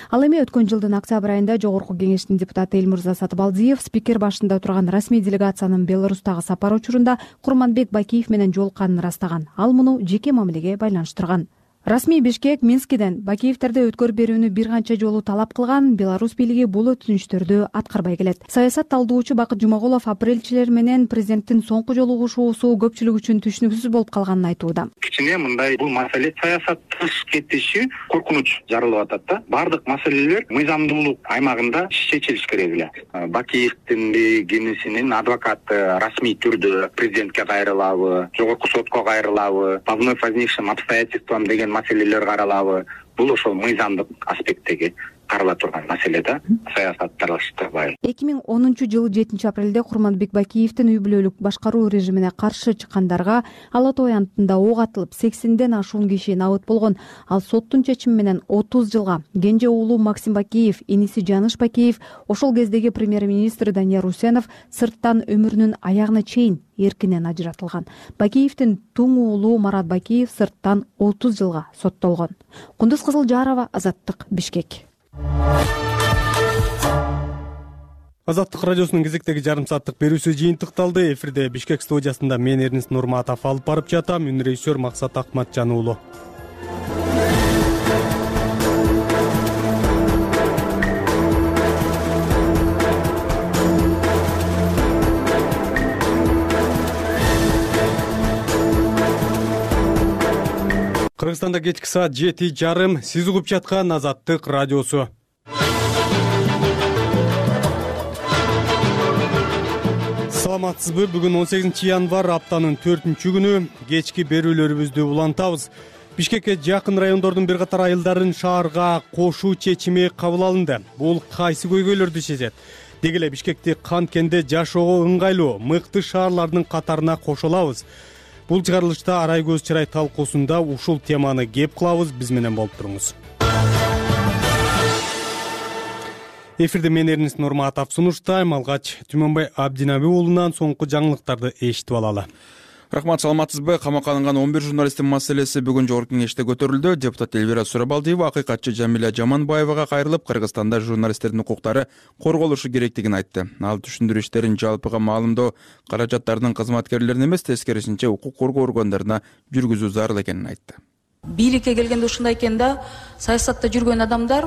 Ал эми өткөн жылдын октябрь айында Жогорку кеңештин депутаты Элмурза Сатыбалдиев спикер башында турган расмий делегациянын Беларустагы сапары учурунда Курманбек Бакиев менен жолукканын ырастаган. Ал муну жеке мамилеге байланыштырган. Расмий Бишкек Минскиден Бакиевтерди өткөрүп берүүнү бир канча жолу талап кылган, Беларусь бийлиги бул өтүнүчтөрдү аткарбай келет. Саясат талдоочу Бакыт Жумагулов апрелчилер менен президенттин соңку жолугушуусу көпчүлүк үчүн түшүнүксүз болуп калганын айтууда. Кичине мындай бул маселе саясаттыш кетиши коркунуч жаралып атат да. Бардык маселелер мыйзамдуулук аймагында чечилиш керек эле. Бакиевдин кенесинин адвокаты расмий түрдө президентке кайрылабы, жогорку сотко кайрылабы, по вновь возникшим обстоятельствам деген маселелер каралабы. Бул ошол мыйзамдык аспекттеги карала турган маселе да, саясат талаштырбай. эки миң онунчу жылы жетинчи апрелде Курманбек Бакиевдин үй бүлөлүк башкаруу режимине каршы чыккандарга Ала Тоо аянтында ок атылып сексенден ашуун киши набыт болгон. Ал соттун чечими менен отуз жылга, кенже уулу Максим Бакиев, иниси Жаныш Бакиев, ошол кездеги премьер-министр Данияр Усенов сырттан өмүрүнүн аягына чейин эркинен ажыратылган. Бакиевдин туң уулу Марат Бакиев сырттан отуз жылга соттолгон. Кундуз Кызылжарова, Азаттык, Бишкек. Азаттык радиосунун кезектеги жарым сааттык берүүсү жыйынтыкталды. Эфирде Бишкек студиясында мен Эрнис Нурматов алып барып жатам. Үн режиссер Максат Акматжан уулу. Кыргызстанда кечки саат жети жарым. Сиз угуп жаткан Азаттык радиосу. Саламатсызбы? Бүгүн он сегизинчи январь, аптанын төртүнчү күнү. Кечки берүүлөрүбүздү улантабыз. Бишкекке жакын райондордун бир катар айылдарын шаарга кошуу чечими кабыл алынды. Бул кайсы көйгөйлөрдү чечет? Деги эле Бишкекти канткенде жашоого ыңгайлуу мыкты шаарлардын катарына кошолабыз. Бул чыгарылышта Арай көз чырай талкуусунда ушул теманы кеп кылабыз. Биз менен болуп туруңуз. Эфирде мен Эрнис Нурматов сунуштайм. Алгач Түмөнбай Абдинаби уулунан соңку жаңылыктарды эшитип алалы. Рахмат, саламатсызбы? Камакка алынган он бир журналисттин маселеси бүгүн жогорку кеңеште көтөрүлдү. Депутат Элвира Сурабалдиева акыйкатчы Жамиля Жаманбаевага кайрылып, Кыргызстанда журналисттердин укуктары корголушу керектигин айтты. Ал түшүндүрүү иштерин жалпыга маалымдоо каражаттардын кызматкерлерине эмес, тескерисинче укук коргоо органдарына жүргүзүү зарыл экенин айтты. Бийликке келгенде ушундай экен да, саясатта жүргөн адамдар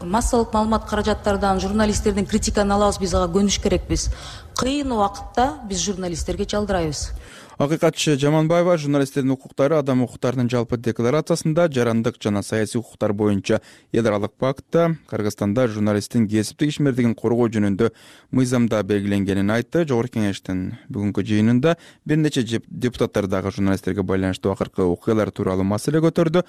массалык маалымат каражаттардан журналисттердин критиканы алабыз, биз ага көнүш керекпиз. Кыйын убакытта биз журналисттерге чалдырайбыз. Акыйкатчы Жаманбаева журналисттердин укуктары Адам укуктарынын жалпы декларациясында жарандык жана саясий укуктар боюнча эл аралык пактта Кыргызстанда журналисттин кесиптик ишмердигин коргоо жөнүндө мыйзамда белгиленгенин айтты. Жогорку кеңештин бүгүнкү жыйынында бир нече депутаттар дагы журналисттерге байланыштуу акыркы окуялар тууралуу маселе көтөрдү.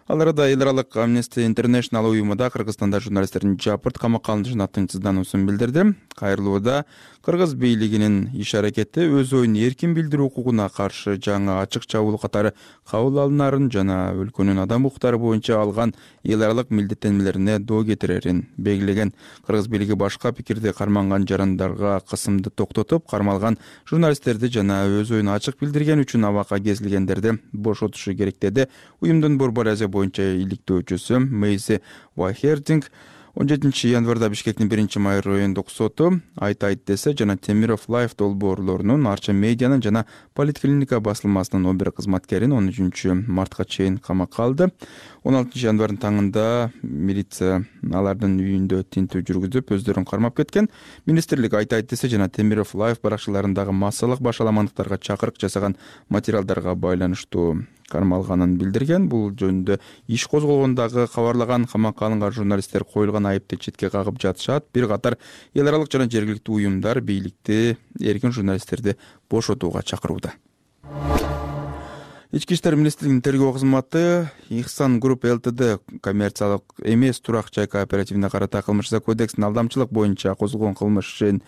Ал арада эл аралык Amnesty International уюму да Кыргызстанда журналисттердин жапырт камакка алынышына тынчсыздануусун билдирди. Кайрылууда кыргыз бийлигинин иш-аракети өз оюн эркин билдирүү укугуна каршы жаңы ачык чабуул катары кабыл алынарын жана өлкөнүн адам укуктары боюнча алган эл аралык милдеттенмелерине доо кетирерин белгилеген. Кыргыз бийлиги башка пикирди карманган жарандарга кысымды токтотуп, кармалган журналисттерди жана өз оюн ачык билдирген үчүн абакка кезилгендерди бошотушу керек деди. Уюмдун Борбор Азия боюнча иликтөөчүсү Мейси Вайхердинг он жетинчи январда Бишкектин биринчи май райондук соту айт айт десе жана Темиров Лайф долбоорлорунун, Арча медианын жана Политклиника басылмасынын он бир кызматкерин он үчүнчү мартка чейин камакка алды. он алтынчы январдын таңында милиция алардын үйүндө тинтүү жүргүзүп, өздөрүн кармап кеткен. Министрлик айт айт десе жана Темиров Лайф баракчаларындагы массалык башаламандыктарга чакырык жасаган материалдарга байланыштуу кармалганын билдирген. Бул жөнүндө иш козголгондагы кабарлаган камакка алынган журналисттер коюлган айыпты четке кагып жатышат. Бир катар эл аралык жана жергиликтүү уюмдар бийликти эркин журналисттерди бошотууга чакырууда. Ички иштер министрлигинин тергөө кызматы Ихсан Групп ЛТД коммерциялык эмес турак жай кооперативине карата кылмыштык кодекстин алдамчылык боюнча козголгон кылмыш ишин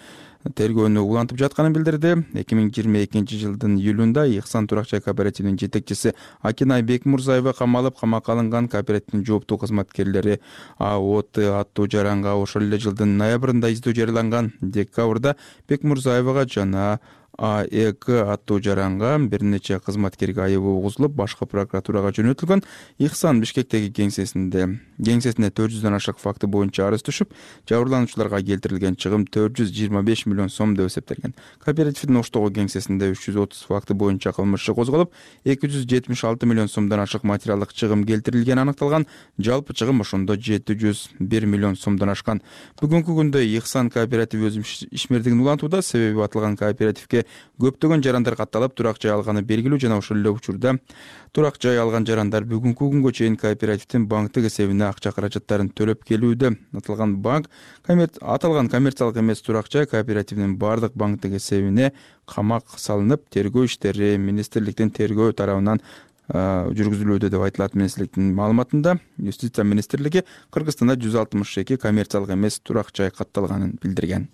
тергөөнү улантып жатканын билдирди. эки миң жыйырма экинчи жылдын июлунда Ихсан турак жай кооперативинин жетекчиси Акинай Бекмурзаева камалып, камакка алынган кооперативдин жооптуу кызматкерлери АОТ аттуу жаранга ошол эле жылдын ноябрында издөө жарыяланган. Декабрда Бекмурзаевага жана АЭК аттуу жаранга бир нече кызматкерге айыбы угузулуп, башкы прокуратурага жөнөтүлгөн. Ихсан Бишкектеги кеңсесинде кеңсесине төрт жүздөн ашык факты боюнча арыз түшүп, жабырлануучуларга келтирилген чыгым төрт жүз жыйырма беш миллион сом деп эсептелген. Кооперативдин Оштогу кеңсесинде үч жүз отуз факты боюнча кылмыш иши козголуп, эки жүз жетимиш алты миллион сомдон ашык материалдык чыгым келтирилгени аныкталган. Жалпы чыгым ошондо жети жүз бир миллион сомдон ашкан. Бүгүнкү күндө Ихсан кооперативи өз ишмердигин улантууда, себеби аталган кооперативге көптөгөн жарандар катталып, турак жай алганы белгилүү жана ошол эле учурда турак жай алган жарандар бүгүнкү күнгө чейин кооперативдин банктык эсебине акча каражаттарын төлөп келүүдө. Аталган банк аталган коммерциялык эмес турак жай кооперативинин бардык банктык эсебине камак салынып, тергөө иштери министрликтин тергөө тарабынан жүргүзүлүүдө деп айтылат. Министрликтин маалыматында Юстиция министрлиги Кыргызстанда жүз алтымыш эки коммерциялык эмес турак жай катталганын билдирген.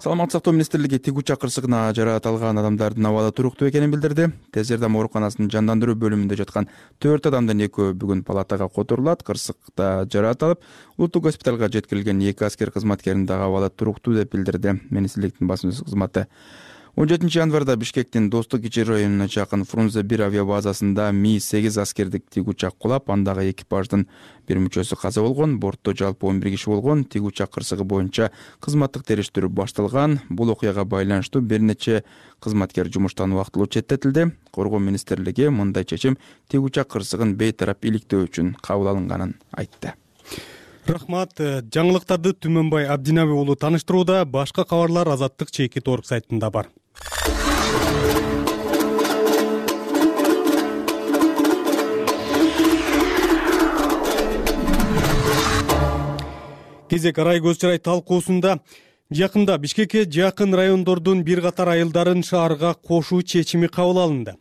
Саламаттык сактоо министрлиги тигүүчак кырсыгына жаракат адамдардын абалы туруктуу экенин билдирди. Тез жардам ооруканасынын жандандыруу бөлүмүндө жаткан төрт адамдын экөө бүгүн палатага которулат. Кырсыкта жаракат алып, улуттук госпиталга жеткирилген эки аскер кызматкеринин дагы абалы туруктуу деп билдирди министрликтин басма сөз кызматы. он жетинчи январда Бишкектин Достук кичи районуна жакын Фрунзе бир авиабазасында Ми сегиз аскердик тигүүчак кулап, андагы экипаждын бир мүчөсү каза болгон. Бортто жалпы он бир киши болгон. Тигүүчак кырсыгы боюнча кызматтык териштирүү башталган. Бул окуяга байланыштуу бир нече кызматкер жумуштан убактылуу четтетилди. Коргоо министрлиги мындай чечим тигүүчак кырсыгын бейтарап иликтөө үчүн кабыл алынганын айтты. Рахмат. Жаңылыктарды Түмөнбай Абдинаби уулу таныштырууда. Башка кабарлар Азаттык чекит орг сайтында бар. Кезек арай көз чырай талкуусунда жакында Бишкекке жакын райондордун бир катар айылдарын шаарга кошуу чечими кабыл алынды.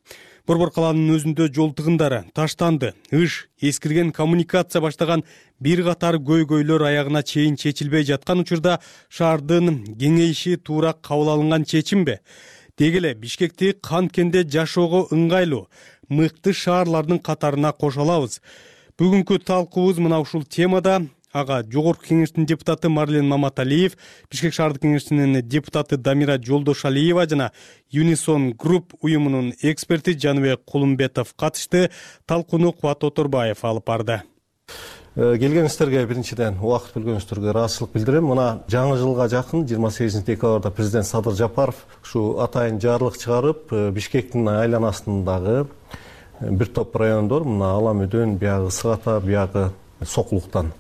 Борбор калаанын өзүндө жол тыгындары, таштанды, ыш, эскирген коммуникация баштаган бир катар көйгөйлөр аягына чейин чечилбей жаткан учурда шаардын кеңейиши туура кабыл алынган чечимби? Деги эле Бишкекти канткенде жашоого ыңгайлуу, мыкты шаарлардын катарына кошо алабыз. Бүгүнкү талкуубуз мына ушул темада. Ага Жогорку кеңештин депутаты Марлен Маматалиев, Бишкек шаардык кеңешинин депутаты Дамира Жолдошалиева жана Unison Group уюмунун эксперти Жаныбек Кулумбетов катышты. Талкууну Кубат Оторбаев алып барды. Келгениңиздерге биринчиден убакыт бөлгөнүңүздөргө ыраазычылык билдирем. Мына жаңы жылга жакын жыйырма сегизинчи декабрда президент Садыр Жапаров ушу атайын жарлык чыгарып, Бишкектин айланасындагы бир топ райондор, мына Алам Өдөн, биягы Ысык Ата, биягы Сокулуктан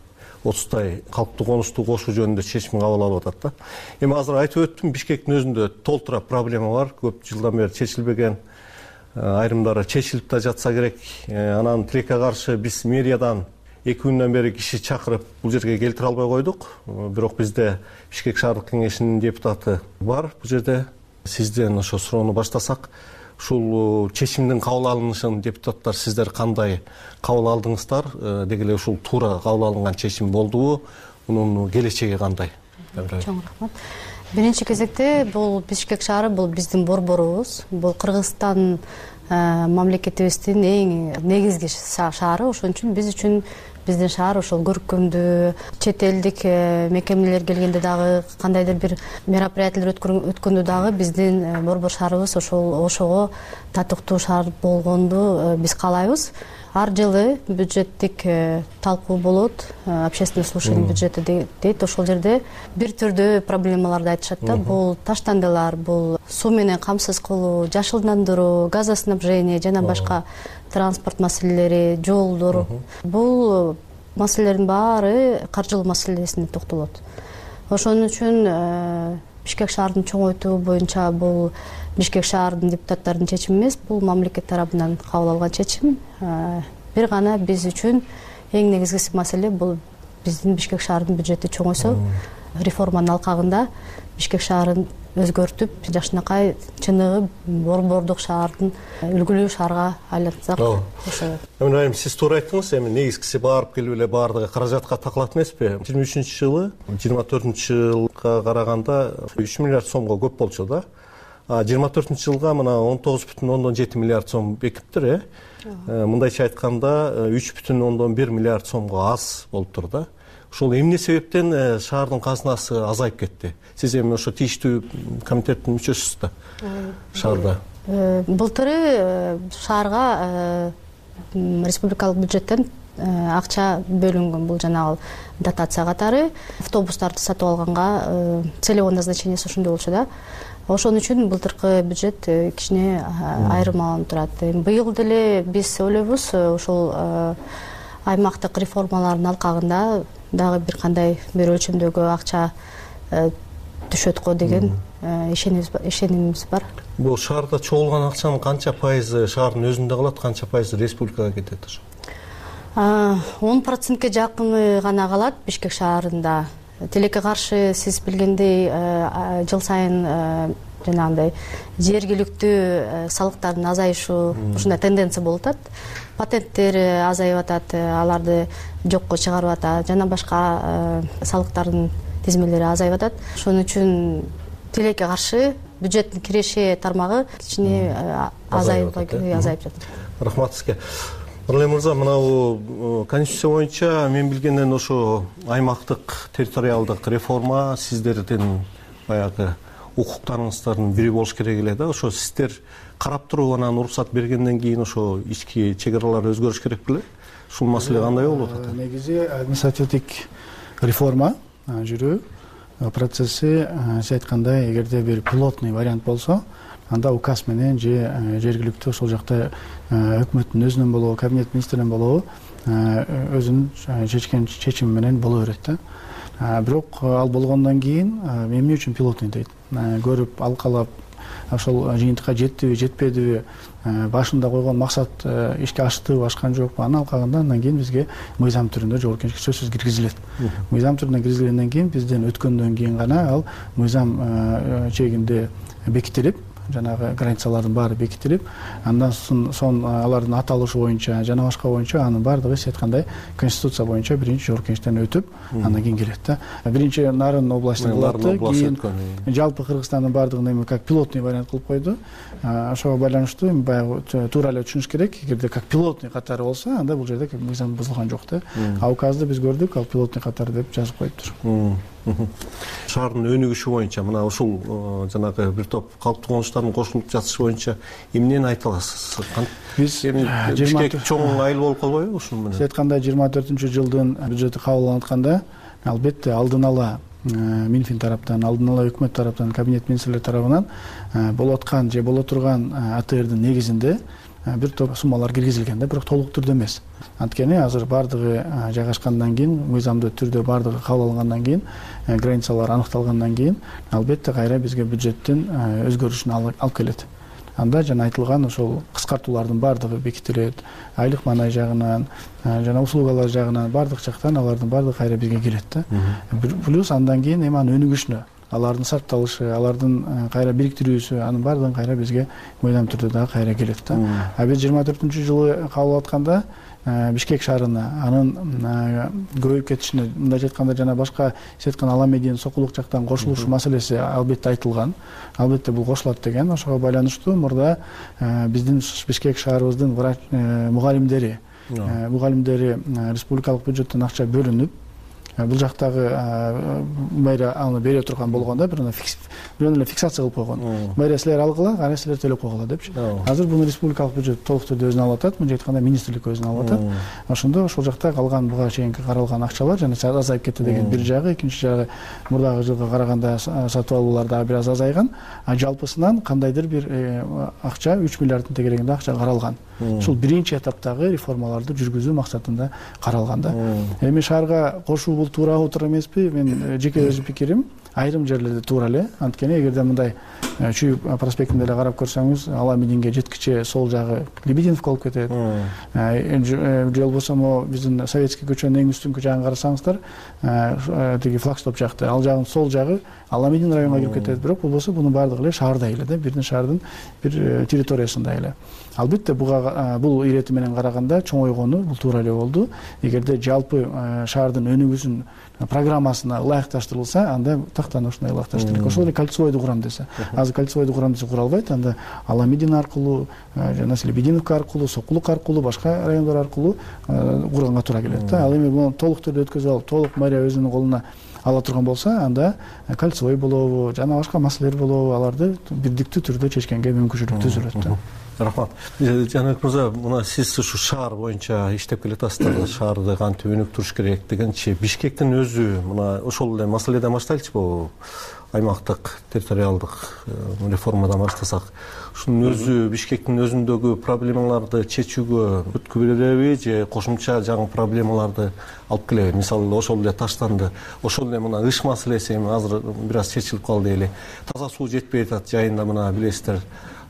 отуздай калктуу конушту кошуу жөнүндө чечим кабыл алып атат да. Эми азыр айтып өттүм, Бишкектин өзүндө толтура проблема бар. Көп жылдан бери чечилбеген, айрымдары чечилип да жатса керек. Анан тилекке каршы биз мэриядан эки күндөн бери киши чакырып бул жерге келтире албай койдук. Бирок бизде Бишкек шаардык кеңешинин депутаты бар. Бул жерде сизден ошо суроону баштасак, ушул чечимдин кабыл алынышын депутаттар сиздер кандай кабыл алдыңыздар? Деги эле ушул туура кабыл алынган чечим болдубу? Мунун келечеги кандай? Чоң рахмат. Биринчи кезекте бул Бишкек шаары бул биздин борборубуз. Бул Кыргызстан мамлекетибиздин эң негизги шаары. Ошон үчүн биз үчүн биздин шаар ошол көркөмдүү, чет элдик мекемелер келгенде дагы, кандайдыр бир мероприятиялар өткөндө дагы биздин борбор шаарыбыз ошол ошого татыктуу шаар болгонду биз каалайбыз. Ар жылы бюджеттик талкуу болот, общественное слушание бюджета дейт. Ошол жерде бир түрдүү проблемаларды айтышат да. Бул таштандылар, бул суу менен камсыз кылуу, жашылдандыруу, газоснабжение жана башка транспорт маселелери, жолдор. Бул маселелердин баары каржылоо маселесине токтолот. Ошон үчүн Бишкек шаардын чоңойтуу боюнча бул Бишкек шаардын депутаттарынын чечими эмес, бул мамлекет тарабынан кабыл алган чечим. Бир гана биз үчүн эң негизгиси маселе бул биздин Бишкек шаардын бюджети чоңойсо, реформанын алкагында Бишкек шаарын өзгөртүп, жакшынакай чыныгы борбордук шаардын үлгүлүү шаарга айлантсак. Эми Райым, сиз туура айттыңыз, эми негизгиси барып келип эле баардыгы каражатка такалат эмеспи? жыйырма үчүнчү жылы, жыйырма төртүнчү жылга караганда үч миллиард сомго көп болчу да. А жыйырма төртүнчү жылга мына он тогуз бүтүн ондон жети миллиард сом бекиптир, э? Мындайча айтканда үч бүтүн ондон бир миллиард сомго аз болуптур да. Ушул эмне себептен шаардын казынасы азайып кетти? Сиз эми ошо тийиштүү комитеттин мүчөсүсүз да шаарда. Былтыры шаарга республикалык бюджеттен акча бөлүнгөн, бул жанагы дотация катары. Автобустарды сатып алганга целевой назначениясы ошондой болчу да. Ошон үчүн былтыркы бюджет кичине айырмаланып турат. Быйыл деле биз ойлойбуз, ошол аймактык реформалардын алкагында дагы бир кандай бир өлчөмдөгү акча түшөт го деген ишенимибиз бар. Бул шаарда чогулган акчанын канча пайызы шаардын өзүндө калат, канча пайызы республикага кетет ошо? он процентке жакыны гана калат Бишкек шаарында. Тилекке каршы сиз билгендей жыл сайын жанагындай жергиликтүү салыктардын азайышы ушундай тенденция болуп атат. Патенттер азайып атат, аларды жокко чыгарып атат, жана башка салыктардын тизмелери азайып атат. Ошон үчүн тилекке каршы бюджеттин киреше тармагы кичине азайып азайып жатат. Рахмат сизге. Нурлан мырза, мынау конституция боюнча мен билгенден ошо аймактык территориалдык реформа сиздердин баягы укуктарыңыздардын бири болуш керек эле да. Ошо сиздер карап туруп анан уруксат бергенден кийин ошо ички чек аралар өзгөрүш керек беле? Ушул маселе кандай болуп атат? Негизи административдик реформа жүрүү процесси сиз айткандай, эгерде бир пилотный вариант болсо, анда указ менен же жергиликтүү ошол жакта өкмөттүн өзүнөн болобу, кабинет министринен болобу өзүнүн чечкен чечими менен боло берет да. Бирок ал болгондон кийин эмне үчүн пилотный дейт? Көрүп, алкалап, ошол жыйынтыкка жеттиби, жетпедиби, башында койгон максат ишке аштыбы, ашкан жокпу, аны алкаганда андан кийин бизге мыйзам түрүндө жогорку кеңешке сөзсүз киргизилет. Мыйзам түрүндө киргизилгенден кийин бизден өткөндөн кийин гана ал мыйзам чегинде бекитилип, жанагы границалардын баары бекитилип, андан соң алардын аталышы боюнча жана башка боюнча анын баардыгы сиз айткандай конституция боюнча биринчи жогорку кеңештен өтүп, андан кийин келет да. Биринчи Нарын областында кылат, кийин жалпы Кыргызстандын баардыгын эми как пилотный вариант кылып койду. Ошого байланыштуу эми баягы туура эле түшүнүш керек. Эгерде как пилотный катары болсо, анда бул жерде мыйзам бузулган жок да. А указды биз көрдүк, ал пилотный катары деп жазып коюптур. Шаардын өнүгүшү боюнча мына ушул жанагы бир топ калктуу конуштардын кошулуп жатышы боюнча эмнени айта аласыз? Биз Бишкек чоң айыл болуп калбайбы ушун менен? Сиз айткандай жыйырма төртүнчү жылдын бюджети кабыл алынып атканда, албетте алдын ала Минфин тараптан, алдын ала өкмөт тараптан, кабинет министрлери тарабынан болуп аткан же боло турган А Т Рдин негизинде бир топ суммалар киргизилген да, бирок толук түрдө эмес. Анткени азыр баардыгы жайгашкандан кийин, мыйзамдуу түрдө баардыгы кабыл алынгандан кийин, границалар аныкталгандан кийин, албетте кайра бизге бюджеттин өзгөрүшүн алып келет. Анда жана айтылган ошол кыскартуулардын баардыгы бекитилет, айлык маанай жагынан, жана услугалар жагынан, баардык жактан алардын баардыгы кайра бизге келет да. Плюс андан кийин эми анын өнүгүшүнө, алардын сарпталышы, алардын кайра бириктирүүсү, анын баардыгын кайра бизге мыйзам түрдө дагы кайра келет да. А биз жыйырма төртүнчү жылы кабыл алып атканда Бишкек шаарына анын көбөйүп кетишине, мындайча айтканда жана башка сиз айткан Аламедин, Сокулук жактан кошулуш маселеси албетте айтылган. Албетте бул кошулат деген. Ошого байланыштуу мурда биздин Бишкек шаарыбыздын врач мугалимдери, мугалимдери республикалык бюджеттен акча бөлүнүп, бул жактагы мэрия аны бере турган болгондо бир эле фиксация кылып койгон. Мэрия силер алгыла, кана силер төлөп койгула депчи. Азыр буну республикалык бюджет толук түрдө өзүнө алып атат, мынча айтканда министрлик өзүнө алып атат. Ошондо ошол жакта калган буга чейинки каралган акчалар жана азайып кетти деген бир жагы, экинчи жагы мурдагы жылга караганда сатып алуулар дагы бир аз азайган, а жалпысынан кандайдыр бир акча үч миллиарддын тегерегинде акча каралган. Ушул биринчи этаптагы реформаларды жүргүзүү максатында каралган да. Эми шаарга кошуу бул туурабы, туура эмеспи? Мен жеке өз пикирим, айрым жерлерде туура эле. Анткени эгерде мындай Чүйүп проспектинде эле карап көрсөңүз, Аламединге жеткиче сол жагы Лебединовка болуп кетет. Же болбосо могу биздин Советский көчөнүн эң үстүнкү жагын карасаңыздар, тиги флагштоп жакты, ал жагын сол жагы Аламедин районуна кирип кетет. Бирок болбосо бунун баардыгы эле шаарда эле да, бирдин шаардын бир территориясында эле. Албетте буга бул ирети менен караганда чоңойгону бул туура эле болду. Эгерде жалпы шаардын өнүгүүсүн программасына ылайыкташтырылса, анда тактан ушундай ылайыкташтырылат. Ошол эле кольцевойду курам десе, азыр кольцевойду курам десе кура албайт, анда Аламедин аркылуу, жана Лебединовка аркылуу, Сокулук аркылуу, башка райондор аркылуу курганга туура келет да. Ал эми буну толук түрдө өткөзүп алып, толук мэрия өзүнүн колуна ала турган болсо, анда кольцевой болобу, жана башка маселелер болобу, аларды бирдиктүү түрдө чечкенге мүмкүнчүлүк түзүлөт да. Рахмат. Жаныбек мырза, мына сиз ушу шаар боюнча иштеп келатасыздар, шаарды кантип өнүктүрүш керек дегенчи, Бишкектин өзү мына ошол эле маселеден баштайлычыбы? Аймактык территориалдык реформадан баштасак, ушунун өзү Бишкектин өзүндөгү проблемаларды чечүүгө өткү береби же кошумча жаңы проблемаларды алып келеби? Мисалы ошол эле таштанды, ошол эле мына ыш маселеси эми азыр бир аз чечилип калды эле. Таза суу жетпей атат жайында, мына билесиздер,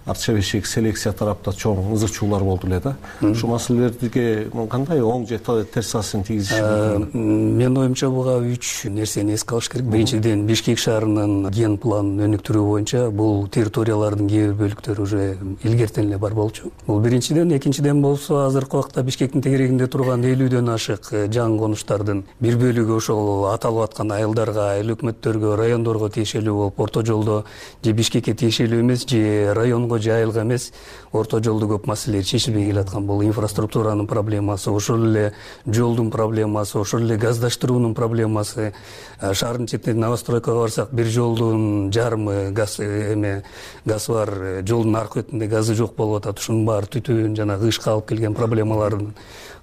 артча бешик селекция тарапта чоң ызык чуулар болду эле да. Ушул маселелерге кандай оң же терс таасирин тийгизиши мүмкүн? Менин оюмча буга үч нерсени эске алыш керек. Биринчиден, Бишкек шаарынын ген планын өнүктүрүү боюнча бул территориялардын кээ бир бөлүктөрү уже илгертен эле бар болчу. Бул биринчиден. Экинчиден болсо, азыркы убакта Бишкектин тегерегинде турган элүүдөн ашык жаңы конуштардын бир бөлүгү ошол аталып аткан айылдарга, айыл өкмөттөргө, райондорго тиешелүү болуп, орто жолдо же Бишкекке тиешелүү эмес, же районго же айылга эмес, орто жолдо көп маселелер чечилбей келаткан. Бул инфраструктуранын проблемасы, ошол эле жолдун проблемасы, ошол эле газдаштыруунун проблемасы. Шаардын четинде новостройкага барсак, бир жолдун жарымы газ эме газ бар, жолдун аркы бетинде газы жок болуп атат. Ушунун баары түтүн жана кышка алып келген проблемалардын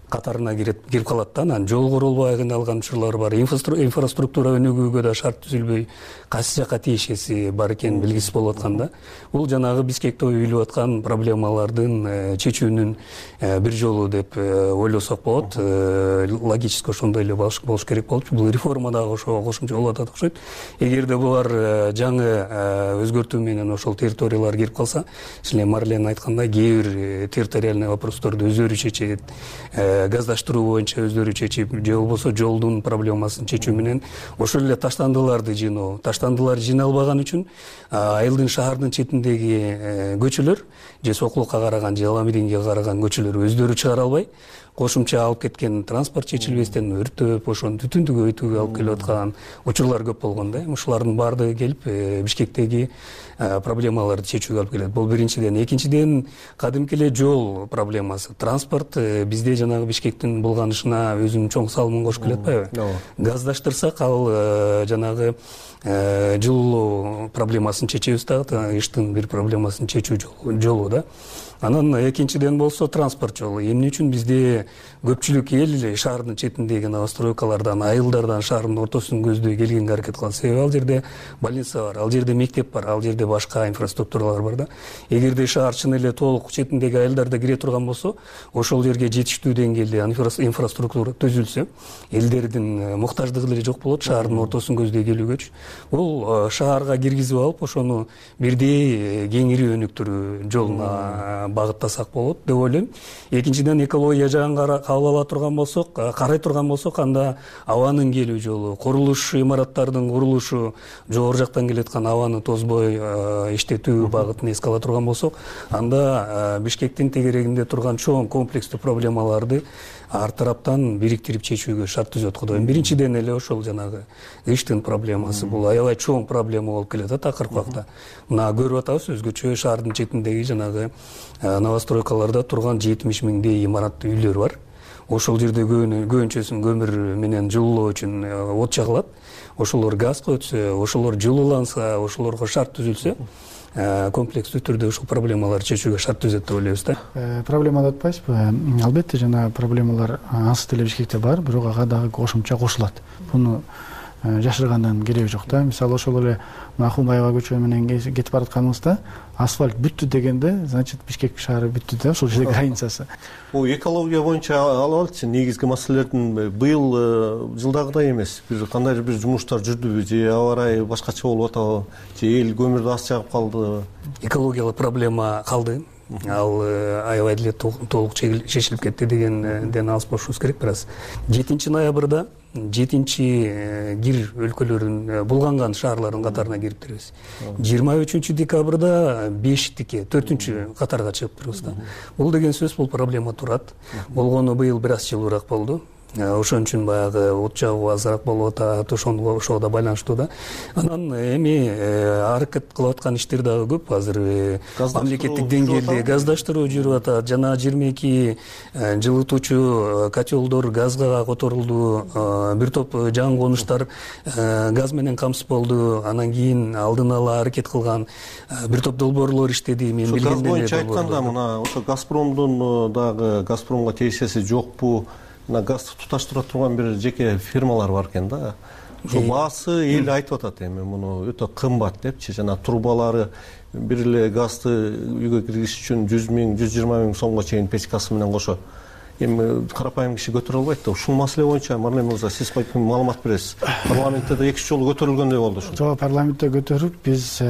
катарына кирип кирип калат да. Анан жол курулбай кыйналган учурлар бар. Инфраструктура өнүгүүгө да шарт түзүлбөй кайсы жакка тиешеси бар экени белгисиз болуп аткан да. Бул жанагы Бишкекте уюлуп аткан проблемалардын чечүүнүн бир жолу деп ойлосок болот. Логически ошондой эле болуш керек болчу. Бул реформа дагы ошого кошумча болуп атат окшойт. Эгерде булар жаңы өзгөртүү менен ошол территориялар кирип калса, ишин эле Марлен айткандай, кээ бир территориальный вопросторду өздөрү чечет, газдаштыруу боюнча өздөрү чечип, же болбосо жолдун проблемасын чечүү менен ошол эле таштандыларды жыйноо. Таштандылар жыйналбаган үчүн айылдын шаардын четиндеги көчөлөр же Сокулукка караган, же Аламединге караган көчөлөр өздөрү чыгара албай, кошумча алып кеткен транспорт чечилбестен өрттөп, ошону түтүндү көбөйтүүгө алып келип аткан учурлар көп болгон да. Ушулардын баардыгы келип Бишкектеги проблемаларды чечүүгө алып келет. Бул биринчиден. Экинчиден, кадимки эле жол проблемасы. Транспорт бизде жанагы Бишкектин булганышына өзүнүн чоң салымын кошуп келет атпайбы? Газдаштырсак, ал жанагы жылуу проблемасын чечебиз дагы, иштин бир проблемасын чечүү жолу да. Анан экинчиден болсо транспорт жолу. Эмне үчүн бизде көпчүлүк эл шаардын четиндеги новостройкалардан, айылдардан шаардын ортосун көздөй келгенге аракет кылат. Себеби ал жерде больница бар, ал жерде мектеп бар, ал жерде башка инфраструктуралар бар да. Эгерде шаар чын эле толук четиндеги айылдарда кире турган болсо, ошол жерге жетиштүү деңгээлде инфраструктура түзүлсө, элдердин муктаждыгы эле жок болот шаардын ортосун көздөй келүүгөчү. Бул шаарга киргизип алып, ошону бирдей кеңири өнүктүрүү жолуна багыттасак болот деп ойлойм. Экинчиден, экология жагын кабыл ала турган болсок, карай турган болсок, анда абанын келүү жолу, курулуш имараттардын курулушу, жогору жактан келаткан абаны тозбой иштетүү багытын эске ала турган болсок, анда Бишкектин тегерегинде турган чоң комплекстүү проблемаларды ар тараптан бириктирип чечүүгө шарт түзөт го дейм. Биринчиден эле ошол жанагы иштин проблемасы. Бул аябай чоң проблема болуп келет акыркы убакта. Мына көрүп атабыз, өзгөчө шаардын четиндеги жанагы новостройкаларда турган жетимиш миңдей имарат үйлөр бар. Ошол жерде көбүнчөсүн көмүр менен жылуулоо үчүн от чагылат. Ошолор газга өтсө, ошолор жылууланса, ошолорго шарт түзүлсө, комплекстүү түрдө ушул проблемаларды чечүүгө шарт түзөт деп ойлойбуз да. Проблема деп атпайсызбы? Албетте жана проблемалар ансы деле Бишкекте бар, бирок ага дагы кошумча кошулат. Буну жашыргандан кереги жок да. Мисалы ошол эле Акунбаева көчө менен кетип баратканыбызда асфальт бүттү дегенде, значит Бишкек шаары бүттү да, ошол жерде границасы. Бул экология боюнча алып негизги маселелердин быйыл жылдагыдай эмес. Бир кандайдыр бир жумуштар жүрдүбү, же аба ырайы башкача болуп атабы, же эл көмүрдү аз чагып калды? Экологиялык проблема калды. Ал аябай деле толук чечилип кетти дегенден алыс болушубуз керек. Бираз жетинчи ноябрда жетинчи кир өлкөлөрүн булганган шаарлардын катарына кирип турбуз. жыйырма үчүнчү декабрда бештикке, төртүнчү катарга чыгып турбуз да. Бул деген сөз, бул проблема турат. Болгону быйыл бир аз жылуураак болду. Ошон үчүн баягы от жагуу азыраак болуп атат, ошого ошого да байланыштуу да. Анан эми аракет кылып аткан иштер дагы көп. Азыр мамлекеттик деңгээлде газдаштыруу жүрүп атат. Жана жыйырма эки жылытуучу котелдор газга которулду. Бир топ жаңы конуштар газ менен камсыз болду. Анан кийин алдын ала аракет кылган бир топ долбоорлор иштеди. Мен билгендей газ боюнча айтканда, мына ошо Газпромдун дагы Газпромго тиешеси жокпу? Газды туташтыра турган бир жеке фирмалар бар экен да. Ошо баасы эл айтып атат эми муну өтө кымбат депчи. Жана трубалары бир эле газды үйгө киргизиш үчүн жүз миң, жүз жыйырма миң сомго чейин печкасы менен кошо. эми карапайым киши көтөрө албайт да. Ушул маселе боюнча Марнем мырза сиз маалымат бересиз. Парламентте да эки үч жолу көтөрүлгөндөй болду ушул. Жок, парламентте көтөрүп, биз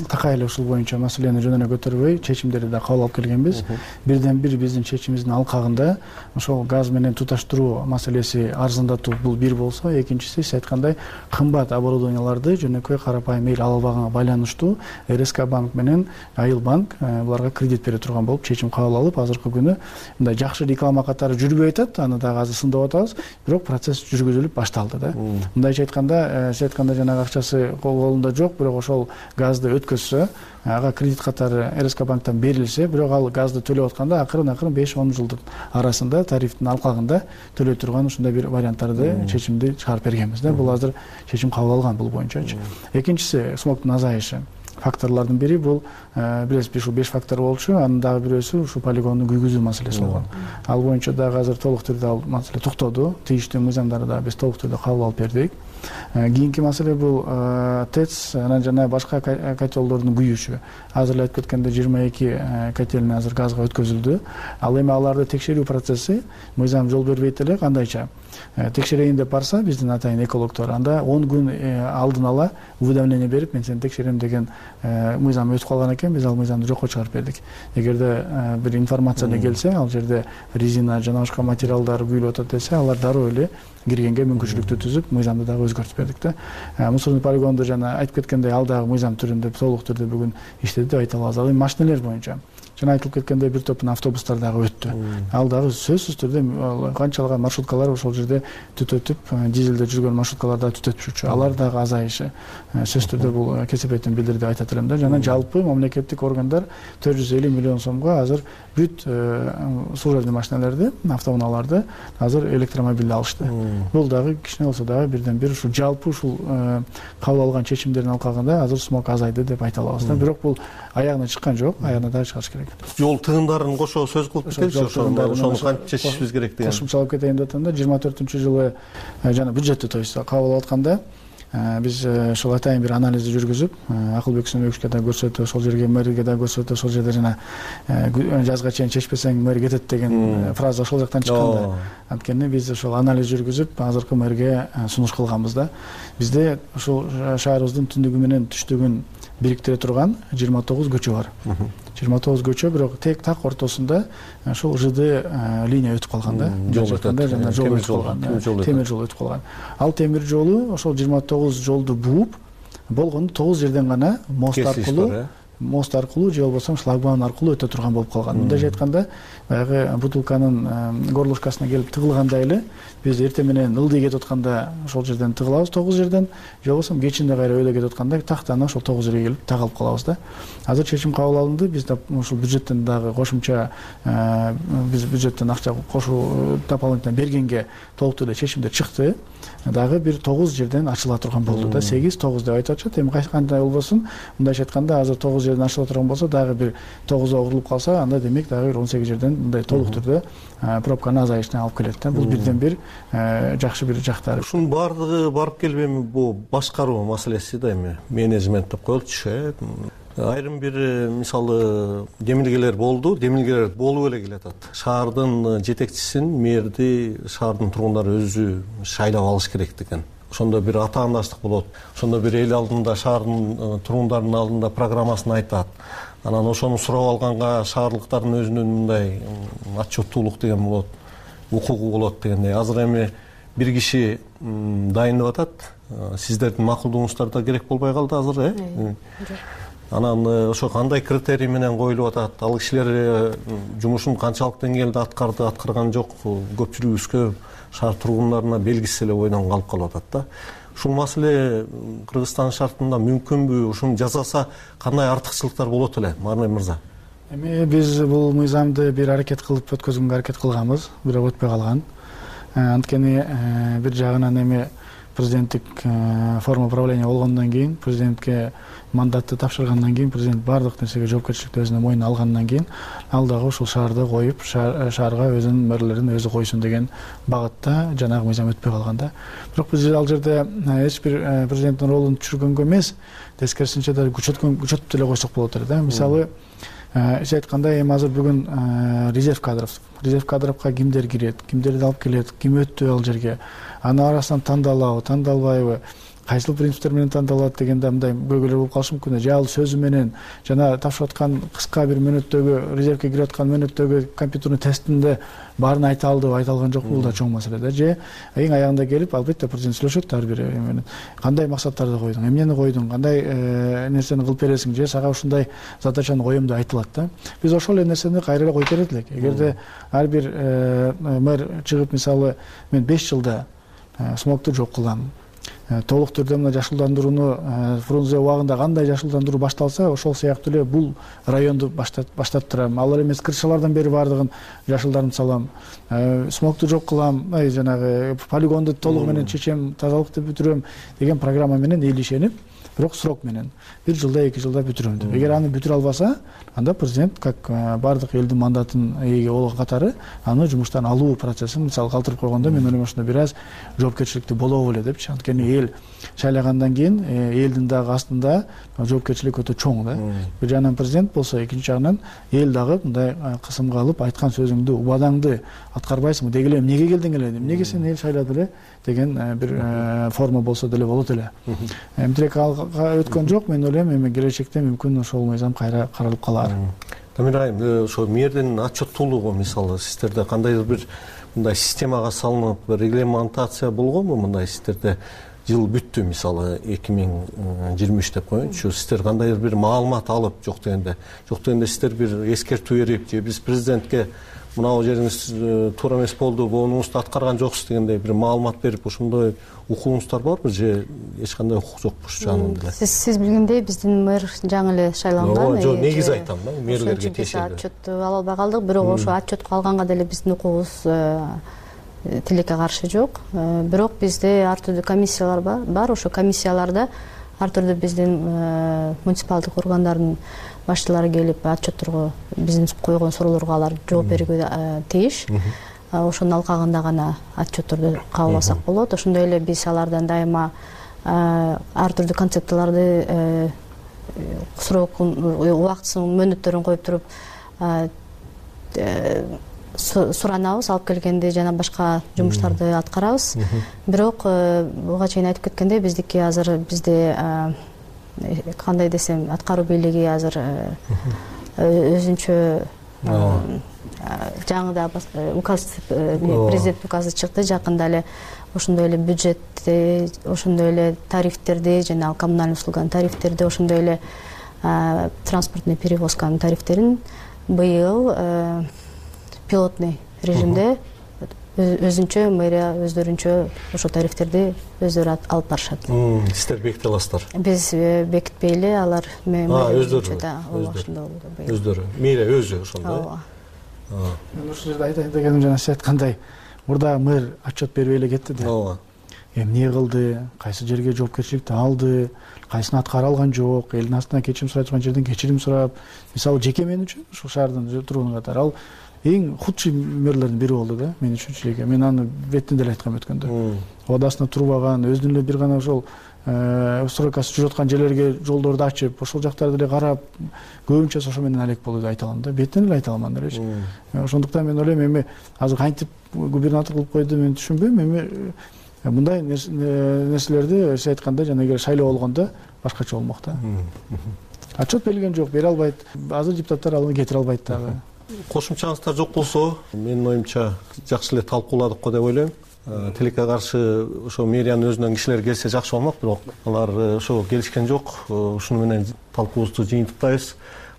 такай эле ушул боюнча маселени жөн эле көтөрбөй, чечимдерди да кабыл алып келгенбиз. Бирден бир биздин чечимибиздин алкагында ошол газ менен туташтыруу маселеси арзандатуу бул бир болсо, экинчиси сиз айткандай кымбат оборудованияларды жөнөкөй карапайым эл ала албаганга байланыштуу эр эс ка банк менен Айыл банк буларга кредит бере турган болуп чечим кабыл алып, азыркы күнү мындай жакшы реклама катары жүрбөй атат, аны дагы азыр сындап атабыз, бирок процесс жүргүзүлүп башталды да. Мындайча айтканда, сиз айткандай жанагы акчасы колунда жок, бирок ошол газды өткөзсө, ага кредит катары эр эс ка банктан берилсе, бирок ал газды төлөп атканда акырын акырын беш он жылдын арасында тарифтин алкагында төлөй турган ушундай бир варианттарды чечимди чыгарып бергенбиз да. Бул азыр чечим кабыл алган бул боюнчачы. Экинчиси смогтун азайышы. Факторлордун бири бул билесизби, ушул беш фактор болчу, анын дагы бирөөсү ушул полигондун күйгүзүү маселеси болгон. Ал боюнча дагы азыр толук түрдө ал маселе токтоду. Тийиштүү мыйзамдарды дагы биз толук түрдө кабыл алып бердик. Кийинки маселе бул ТЭЦ анан жана башка котелдордун күйүүсү. Азыр эле айтып кеткендей жыйырма эки котельный азыр газга өткөзүлдү. Ал эми аларды текшерүү процесси мыйзам жол бербейт эле, кандайча текшерейин деп барса биздин атайын экологдор анда он күн алдын ала уведомление берип, мен сени текшерем деген мыйзам өтүп калган экен, биз ал мыйзамды жокко чыгарып бердик. Эгерде бир информация келсе, ал жерде резина жана башка материалдар күйүлүп атат десе, алар дароо эле киргенге мүмкүнчүлүктү түзүп, мыйзамды дагы өзгөртүп бердик да. Мусорный полигонду жана айтып кеткендей ал дагы мыйзам түрүндө толук түрдө бүгүн иштеди деп айта алабыз. Ал эми машинелер боюнча жана айтылып кеткендей бир топ автобустар дагы өттү. Ал дагы сөзсүз түрдө канчалаган маршруткалар ошол жерде түтөтүп, дизелде жүргөн маршруткалар дагы түтөтүшчү. Алар дагы азайышы сөзсүз түрдө бул кесепетин билдирди деп айтат элем да. Жана жалпы мамлекеттик органдар төрт жүз элүү миллион сомго азыр бүт служебный машиналарды, автоунааларды азыр электромобилде алышты. Бул дагы кичине болсо дагы бирден бир ушул жалпы ушул кабыл алган чечимдердин алкагында азыр смог азайды деп айта алабыз да. Бирок бул аягына чыккан жок, аягына дагы чыгыш керек. Жол тыгындарын кошо сөз кылып кетеличи, ошону кантип чечишибиз керек деген. Кошумча алып кетейин деп атам да. жыйырма төртүнчү жылы жана бюджетти то есть кабыл алып атканда биз ошол атайын бир анализди жүргүзүп, Акылбек Сүнөбековичке да көрсөтүп, ошол жерге мэрге да көрсөтүп, ошол жерде жана жазга чейин чечпесең мэр кетет деген фраза ошол жактан чыккан да. Анткени биз ошол анализ жүргүзүп, азыркы мэрге сунуш кылганбыз да. Бизде ошол шаарыбыздын түндүгү менен түштүгүн бириктире турган жыйырма тогуз көчө бар. жыйырма тогуз көчө, бирок тек так ортосунда ошол ЖД линия өтүп калган да. Жол өтөт, жана жол өтүп калган. Темир жол өтүп калган. Ал темир жолу ошол жыйырма тогуз жолду бууп, болгону тогуз жерден гана мост аркылуу мост аркылуу же болбосо шлагбаум аркылуу өтө турган болуп калган. Мындай айтканда, баягы бутылканын горлышкасына келип тыгылгандай эле биз эртең менен ылдый кетип атканда ошол жерден тыгылабыз тогуз жерден, же болбосо кечинде кайра өйдө кетип атканда тактаны ошол тогуз жерге келип тагылып калабыз да. Азыр чечим кабыл алынды, биз ушул бюджеттен дагы кошумча биз бюджеттен акча кошуу дополнительно бергенге толук түрдө чечимдер чыкты. Дагы бир тогуз жерден ачыла турган болду да. сегиз тогуз деп айтып атышат. Эми кандай болбосун, мындайча айтканда азыр тогуз жерден ачыла турган болсо, дагы бир тогузга урулуп калса, анда демек дагы бир он сегиз жерден мындай толук түрдө пробканын азайышына алып келет да. Бул бирден бир жакшы бир жактары. Ушунун баардыгы барып келип эми бул башкаруу маселеси да, эми менеджмент деп коелучу. Айрым бир мисалы демилгелер болду, демилгелер болуп эле келатат. Шаардын жетекчисин, мэрди шаардын тургундары өзү шайлап алыш керек деген. Ошондо бир атаандаштык болот. Ошондо бир эл алдында, шаардын тургундарынын алдында программасын айтат. Анан ошону сурап алганга шаарлыктардын өзүнүн мындай отчеттуулук деген болот, укугу болот дегендей. Азыр эми бир киши дайын деп атат. Сиздердин макулдугуңуздар да керек болбой калды азыр, э? Анан ошо кандай критерий менен коюлуп атат? Ал кишилер жумушун канчалык деңгээлде аткарды, аткарган жок, көпчүлүгүбүзгө, шаар тургундарына белгисиз эле ойдон калып калып атат да. Ушул маселе Кыргызстан шартында мүмкүнбү? Ушуну жасаса кандай артыкчылыктар болот эле, Марнем мырза? Эми биз бул мыйзамды бир аракет кылып өткөзгөнгө аракет кылганбыз, бирок өтпөй калган. Анткени бир жагынан эми президенттик форма управления болгондон кийин, президентке мандатты тапшыргандан кийин, президент баардык нерсеге жоопкерчиликти өзүнө мойнуна алгандан кийин, ал дагы ушул шаарды коюп, шаарга өзүнүн мэрлерин өзү койсун деген багытта жанагы мыйзам өтпөй калган да. Бирок биз ал жерде эч бир президенттин ролун түшүргөнгө эмес, тескерисинче да күчөткөн күчөтүп деле койсок болот эле да. Мисалы, сиз айткандай эми азыр бүгүн резерв кадров резерв кадровго кимдер кирет, кимдерди алып келет, ким өттү ал жерге, анын арасынан тандалабы тандалбайбы, кайсыл принциптер менен тандалат дегенде мындай көйгөйлөр болуп калышы мүмкүн да. же ал сөзү менен жана тапшырып аткан кыска бир мөөнөттөгү резервке кирип аткан мөөнөттөгү компьютерный тестинде баарын айта алдыбы айта алган жокпу, бул да чоң маселе да. Же эң аягында келип албетте президент сүйлөшөт ар бир менен кандай максаттарды койдуң, эмнени койдуң, кандай нерсени кылып бересиң, же сага ушундай задачаны коем деп айтылат да. Биз ошол эле нерсени кайра эле коюп берет элек. Эгерде ар бир мэр чыгып мисалы мен беш жылда смогту жок кылам, толук түрдө мына жашылдандырууну Фрунзе убагында кандай жашылдандыруу башталса ошол сыяктуу эле бул районду баштап турам, ал эле эмес крышалардан бери баардыгын жашылдарын салам, смогту жок кылам, жанагы полигонду толугу менен чечем, тазалыкты бүтүрөм деген программа менен эл ишенип, бирок срок менен бир жылда эки жылда бүтүрөм деп. Эгер аны бүтүрө албаса, анда президент как баардык элдин мандатын ээге болгон катары аны жумуштан алуу процессин мисалы калтырып койгондо мен ойлойм ошондо бир аз жоопкерчиликтүү болобу беле депчи. Анткени эл шайлагандан кийин элдин дагы астында жоопкерчилик өтө чоң да. Бир жагынан президент болсо, экинчи жагынан эл дагы мындай кысымга алып айткан сөзүңдү, убадаңды аткарбайсыңбы, деги эле эмнеге келдиң эле, эмнеге сени эл шайлады эле деген бир форма болсо деле болот эле. Эмтирээк өткөн жок, мен ойлойм эми келечекте мүмкүн ошол мыйзам кайра каралып калар. Тамира айым, ошо мэрдин отчеттуулугу мисалы сиздерде кандайдыр бир мындай системага салынып, регламентация болгонбу? Мындай сиздерде жыл бүттү мисалы эки миң жыйырма үч деп коеюнчу, сиздер кандайдыр бир маалымат алып, жок дегенде жок дегенде сиздер бир эскертүү берип, же биз президентке мынау жериңиз туура эмес болду, боонуңузду аткарган жоксуз дегендей бир маалымат берип, ошондой укугуңуздар барбы, же эч кандай укук жокпуш жанында эле? Сиз сиз билгендей биздин мэр жаңы эле шайланган. Жок, негизи айтам да, мэрлерге тиешелүү отчет ала албай калдык, бирок ошо отчетко алганга деле биздин укугубуз тилекке каршы жок. Бирок бизде ар түрдүү комиссиялар бар. Ошо комиссияларда ар түрдүү биздин муниципалдык органдардын башчылары келип отчетторго биздин койгон суроолорго алар жооп берүүгө тийиш. Ошонун алкагында гана отчетторду кабыл алсак болот. Ошондой эле биз алардан дайыма ар түрдүү концепцияларды срокун, убактысын, мөөнөттөрүн коюп туруп суранабыз, алып келгенде жана башка жумуштарды аткарабыз. Бирок буга чейин айтып кеткендей, биздики азыр бизде кандай десем, аткаруу бийлиги азыр өзүнчө жаңы да указ, президент указы чыкты жакында эле. Ошондой эле бюджетти, ошондой эле тарифтерди, жана коммунальный услуганын тарифтерди, ошондой эле транспортный перевозканын тарифтерин быйыл пилотный режимде өзүнчө мэрия өздөрүнчө ошо тарифтерди өздөрү алып барышат. Сиздер беките аласыздар? Биз бекитпей эле, алар өздөрү өздөрү мэрия өзү ошондой. Мен ушул жерде айтайын дегеним жана сиз айткандай, мурда мэр отчет бербей эле кетти да. Ооба. Эмне кылды, кайсы жерге жоопкерчиликти алды, кайсын аткара алган жок, элдин астынан кечирим сурай турган жерден кечирим сурап, мисалы жеке мен үчүн ушул шаардын тургуну катары ал эң худший мэрлердин бири болду да, мен үчүнчү эле. Мен аны бетинде эле айткам өткөндө. Убадасына турбаган, өзүнүн эле бир гана ошол стройкасы жүрүп аткан жерлерге жолдорду ачып, ошол жактарды эле карап, көбүнчө ошо менен алек болду деп айта алам да. Бетинен эле айта алман элечи. Ошондуктан мен ойлойм, эми азыр кантип губернатор кылып койду мен түшүнбөйм. Эми мындай нерселерди сиз айткандай жана эгер шайлоо болгондо башкача болмок да. Отчет берилген жок, бере албайт. Азыр депутаттар аны кетире албайт дагы. Кошумчаңыздар жок болсо, менин оюмча жакшы эле талкууладык го деп ойлойм. Тилекке каршы ошо мэриянын өзүнөн кишилер келсе жакшы болмок, бирок алар ошо келишкен жок. Ушуну менен талкуубузду жыйынтыктайбыз.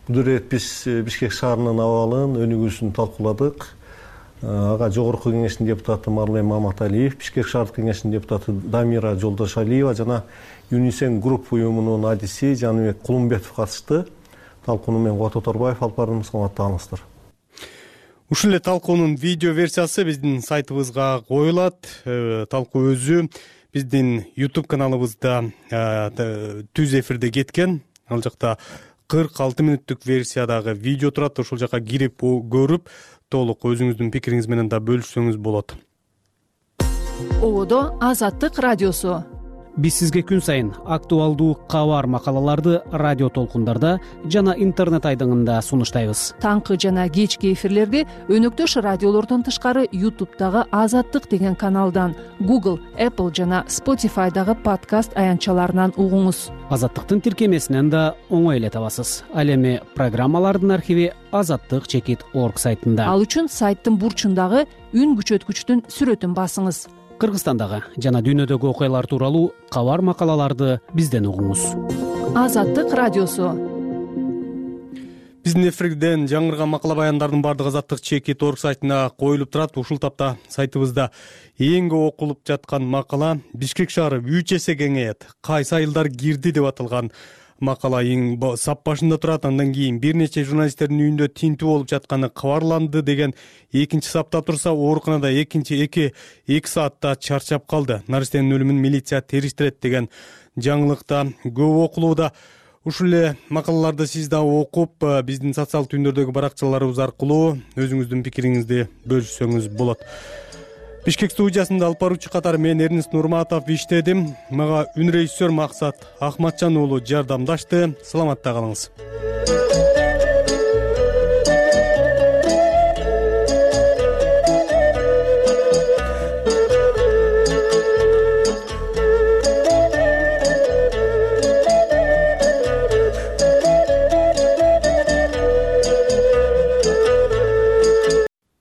Бул ирет биз Бишкек шаарынын абалын, өнүгүүсүн талкууладык. Ага жогорку кеңештин депутаты Марлен Маматалиев, Бишкек шаардык кеңештин депутаты Дамира Жолдошалиева жана Юнисен групп уюмунун адиси Жаныбек Кулумбетов катышты. Талкууну мен Кубат Оторбаев алып бардым, саламаттаңыздар. Ушул эле талкуунун видео версиясы биздин сайтыбызга коюлат. Талкуу өзү биздин YouTube каналыбызда түз эфирде кеткен. Ал жакта кырк алты мүнөттүк версиядагы видео турат. Ошол жака кирип көрүп, толук өзүңүздүн пикириңиз менен да бөлүшсөңүз болот. Ободо Азаттык радиосу. биз сизге күн сайын актуалдуу кабар макалаларды радио толкундарда жана интернет айдыңында сунуштайбыз. Таңкы жана кечки эфирлерди өнөктөш радиолордон тышкары ютубтагы Азаттык деген каналдан, Google, Apple жана Spotify'дагы подкаст аянтчаларынан угуңуз. Азаттыктын тиркемесинен да оңой эле табасыз. Ал эми программалардын архиви азаттык чекит орг сайтында. Ал үчүн сайттын бурчундагы үн күчөткүчтүн сүрөтүн басыңыз. Кыргызстандагы жана дүйнөдөгү окуялар тууралуу кабар макалаларды бизден угуңуз. Азаттык радиосу. Биздин эфирден жаңырган макала баяндардын баардыгы азаттык чекит орг сайтына коюлуп турат. Ушул тапта сайтыбызда эң көп окулуп жаткан макала Бишкек шаары үч эсе кеңейет, кайсы айылдар кирди деп аталган макала эң сап башында турат. Андан кийин бир нече журналисттердин үйүндө тинтүү болуп жатканы кабарланды деген экинчи сапта турса, ооруканада экинчи эки эки саатта чарчап калды. Наристенин өлүмүн милиция териштирет деген жаңылыкта көп окулууда. Ушул эле макалаларды сиз да окуп, биздин социалдык түндөрдөгү баракчаларыбыз аркылуу өзүңүздүн пикириңизди бөлүшсөңүз болот. Бишкек студиясында алып баруучу катары мен Эрнест Нурматов иштедим. Мага үн режиссер Максат Ахматжан уулу жардамдашты. Саламатта калыңыз.